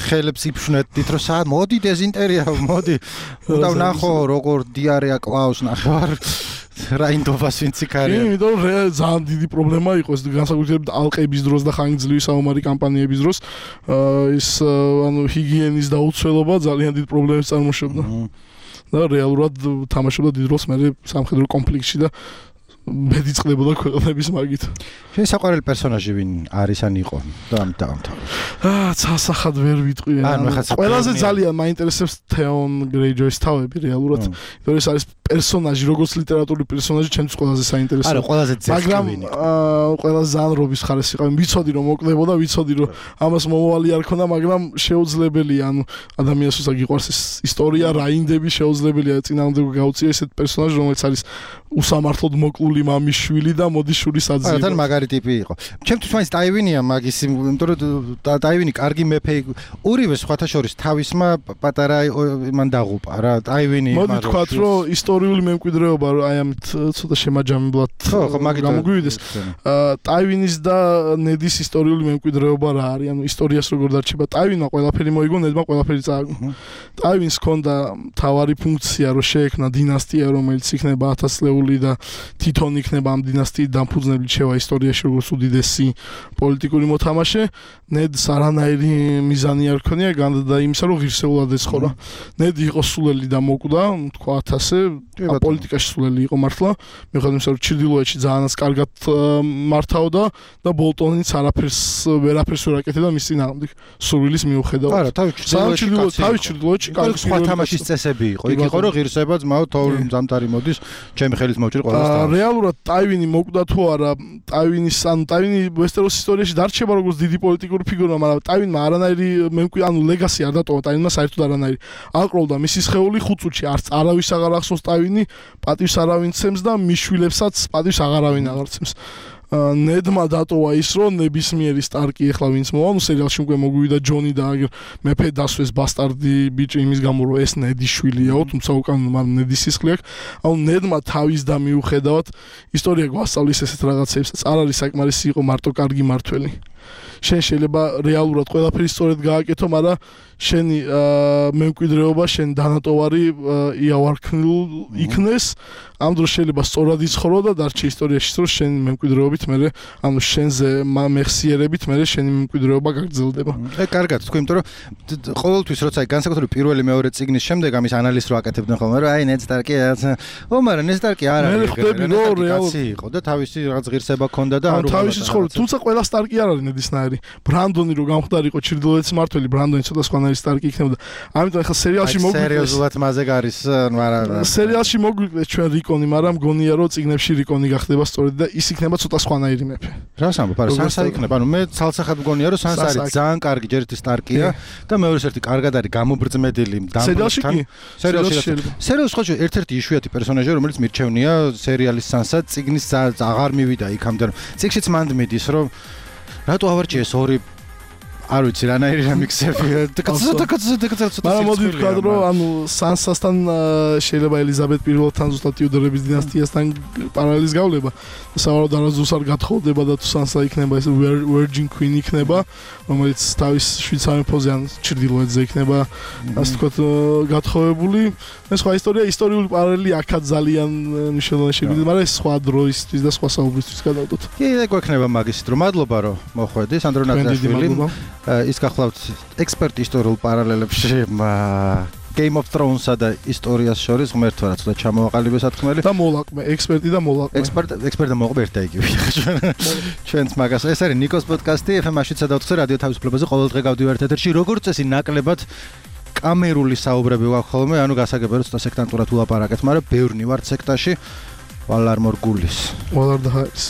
Speaker 1: ხელებს იფშვნეთით, რომ სა მოდი დეზინტერია, მოდი. უნდა ვნახო როგორ დიარეა კლავს ნახევარ რაინდობას ვინც იქარია.
Speaker 2: კი, იმიტომ რომ ძალიან დიდი პრობლემა იყო ეს განსაკუთრებით ალყების დროს და ხანგრძლივი საომარი კამპანიების დროს, ის ანუ ჰიგიენის დაუცველობა ძალიან დიდ პრობლემებს წარმოშობდა. და რეალურად თამაშობდა დიდ როლს მე სამხედრო კონფლიქტში და ბედი წყდებოდა ქვეყნების მაგით.
Speaker 1: შენ საყვარელი პერსონაჟი ვინ არის ან იყო და ამ დაამთავრე.
Speaker 2: აა, ცალსახად ვერ ვიტყვი. ყველაზე ძალიან მაინტერესებს თეონ გრეიჯოის თავები რეალურად. იმიტომ რომ ეს არის პერსონაჟი, როგორც ლიტერატურული პერსონაჟი, ჩემთვის ყველაზე საინტერესო.
Speaker 1: არა, ყველაზე ძეგლი
Speaker 2: მაგრამ აა, ყველაზე ზანრობის ხარეს იყავი. ვიცოდი რომ მოკდებოდა, ვიცოდი რომ ამას მომავალი არ ქონდა, მაგრამ შეუძლებელია, ანუ ადამიანს უცა გიყვარს ეს ისტორია, რაინდები შეუძლებელია წინააღმდეგ გაუწია ესეთ პერსონაჟი, რომელიც არის უსამართლოდ მოკლული მამის შვილი და მოდის შურის აძიება.
Speaker 1: არა, თან მაგარი ტიპი იყო. ჩემთვის მაინც ტაივინია მაგის, იმიტომ რომ ტაივინი კარგი მეფე იყო. ორივე სხვათა შორის თავისმა პატარა მან დაღუპა რა, ტაივინი
Speaker 2: მაგ მოდი თქვათ რომ ისტორიული მემკვიდრეობა აი ამით ცოტა შემაჯამებლად გამოგვივიდეს. ტაივინის და ნედის ისტორიული მემკვიდრეობა რა არის? ანუ ისტორიას როგორ დარჩება? ტაივინმა ყველაფერი მოიგო, ნედმა ყველაფერი წააგო. ტაივინს ჰქონდა მთავარი ფუნქცია, რომ შეექმნა დინასტია, რომელიც იქნება ათას წლეული და თვითონ იქნება ამ დინასტიით დამფუძნებლად შევა ისტორიაში როგორც უდიდესი პოლიტიკური მოთამაშე. ნედს არანაირი მიზანი არ ქონია განდა იმისა, რომ ღირსეულად ეცხოვრა. ნედი იყო სულელი და მოკვდა, თქვათ ასე, პოლიტიკაში სულელი იყო მართლა. მიუხედავად იმისა, რომ ჩრდილოეთში ძალიანაც კარგად მართავდა და ბოლტონიც არაფერს ვერაფერს ვერ აკეთებდა მის წინააღმდეგ. სურვილის მიუხედავად.
Speaker 1: არა, თავის
Speaker 2: ჩრდილოეთში კარგი
Speaker 1: სხვა თამაშის წესები იყო. იქ იყო რომ ღირსება ძმაო თოვლ ზამთარი მოდის, ჩემი ხელით მოვჭერ ყველას.
Speaker 2: რეალურად ტაივინი მოკვდა თუ არა, ტაივინის ანუ ტაივინი ვესტეროსის ისტორიაში დარჩება როგორც დიდი პოლიტიკური ფიგურა, მაგრამ ტაივინმა არანაირი მემკვიდრე ანუ ლეგასი არ დატოვა ტაივინმა საერთოდ არანაირი. აკროლდა მისი სხეული ხუთ წუთში, არც არავის აღარ ახსოვს ტაივინი, პატივს არავინ ცემს და მის შვილებსაც პატივს აღარავინ აღარ ცემს. ნედმა დატოვა ის რომ ნებისმიერი სტარკი ეხლა ვინც მოვა, ნუ სერიალში უკვე მოგვივიდა ჯონი და აგერ მეფე დასვეს ბასტარდი ბიჭი იმის გამო რომ ეს ნედის შვილიაო, თუმცა უკან მაგრამ ნედის სისხლი აქვს. ანუ ნედმა თავის და მიუხედავად ისტორია გვასწავლის ესეთ რაღაცებსაც. არ არის საკმარისი იყო მარტო კარგი მართველი. შენ შეიძლება რეალურად ყველაფერი სწორედ გააკეთო, მაგრამ შენი მემკვიდრეობა, შენ დანატოვარი იავარქნილ იქნეს, ამ დროს შეიძლება სწორად იცხოვრო და დარჩე ისტორიაში, რომ შენ მემკვიდრეობით მე, ანუ შენზე მეხსიერებით მე შენი მემკვიდრეობა გაგრძელდება.
Speaker 1: ე კარგად, თქვი, იმიტომ რომ ყოველთვის როცა განსაკუთრებით პირველი მეორე წიგნის შემდეგ ამის ანალიზს რო აკეთებდნენ ხოლმე, რომ აი ნედ სტარკი ო მაგრამ ნედ სტარკი არ არის.
Speaker 2: მე ხვდები რომ რეალურად
Speaker 1: იყო და თავისი რაღაც ღირსება ჰქონდა და
Speaker 2: არ თავისი ცხოვრება, თუმცა ყველა სტარკი არ არის ნედისნაირი. ბრანდონი რო გამხდარიყო ჩრდილოეთის მმართველი, ბრანდონი ცოტა სხვანაირი სტარკი იქნებოდა. ამიტომ ახლა სერიალში მოგვიყვეს.
Speaker 1: სერიოზულად მასე გარის, მაგრამ
Speaker 2: სერიალში მოგვიყვეს ჩვენ რიკონი, მაგრამ გონია რომ წიგნებში რიკონი გახდება სწორედ და ის იქნება ცოტა სხვანაირი მეფე.
Speaker 1: რას ამბობ, არა სანსა იქნება. ანუ მე ცალსახად მგონია რომ სანსა არის ძალიან კარგი ჯერ ერთი სტარკია და მეორე ერთი კარგად არის გამობრძმედილი
Speaker 2: დამბრუნებთან.
Speaker 1: სერიალში სერიალში ხო ერთ-ერთი იშვიათი პერსონაჟია რომელიც მირჩევნია სერიალის სანსა წიგნის აღარ მივიდა იქამდე რომ წიგშიც მანდ მიდის რომ რატო ავარჩიეს ორი არ ვიცი რანაირი რამიქსები
Speaker 2: მაგრამ მოდი ვთქვა რომ ანუ სანსასთან შეიძლება ელიზაბეთ პირველთან ზუსტად ტიუდორების დინასტიასთან პარალელის გავლება სავარაუდოდ არასდროს არ გათხოვდება და თუ სანსა იქნება ეს virgin queen იქნება რომელიც თავის შვიცარიელზე ან ჩრდილოეთზე იქნება ასე ვთქვათ გათხოვებული ეს სხვა ისტორია ისტორიული პარალელი აქაც ძალიან მნიშვნელოვანი შეგვიძლია მაგრამ ეს სხვა დროისთვის და სხვა საუბრისთვის გადავდოთ
Speaker 1: კი ეგ გვექნება მაგისით რომ მადლობა რომ მოხვედი სანდრო ნატაშვილი ის გახლავთ ექსპერტი ისტორიულ პარალელებში Game of Thrones-სა და ისტორიას შორის ღმერთო რა ცოტა ჩამოვაყალიბე სათქმელი
Speaker 2: და მოლაყმე ექსპერტი და მოლაყმე
Speaker 1: ექსპერტ ექსპერტი და მოლაყმე ერთად იგივე ჩვენც მაგას ეს არის ნიკოს პოდკასტი ეფ ემ-ში სადავთ რადიო თავისუფლებაზე ყოველდღე გავდივართ ეთერში როგორც წესი ნაკლებად კამერული საუბრები ვაქვს ხოლმე ანუ გასაგებია რომ ცოტა სექტანტურად ულაპარაკეთ მაგრამ ბევრნი ვართ სექტაში ვალარ მორგულის
Speaker 2: ვალარ და ჰაის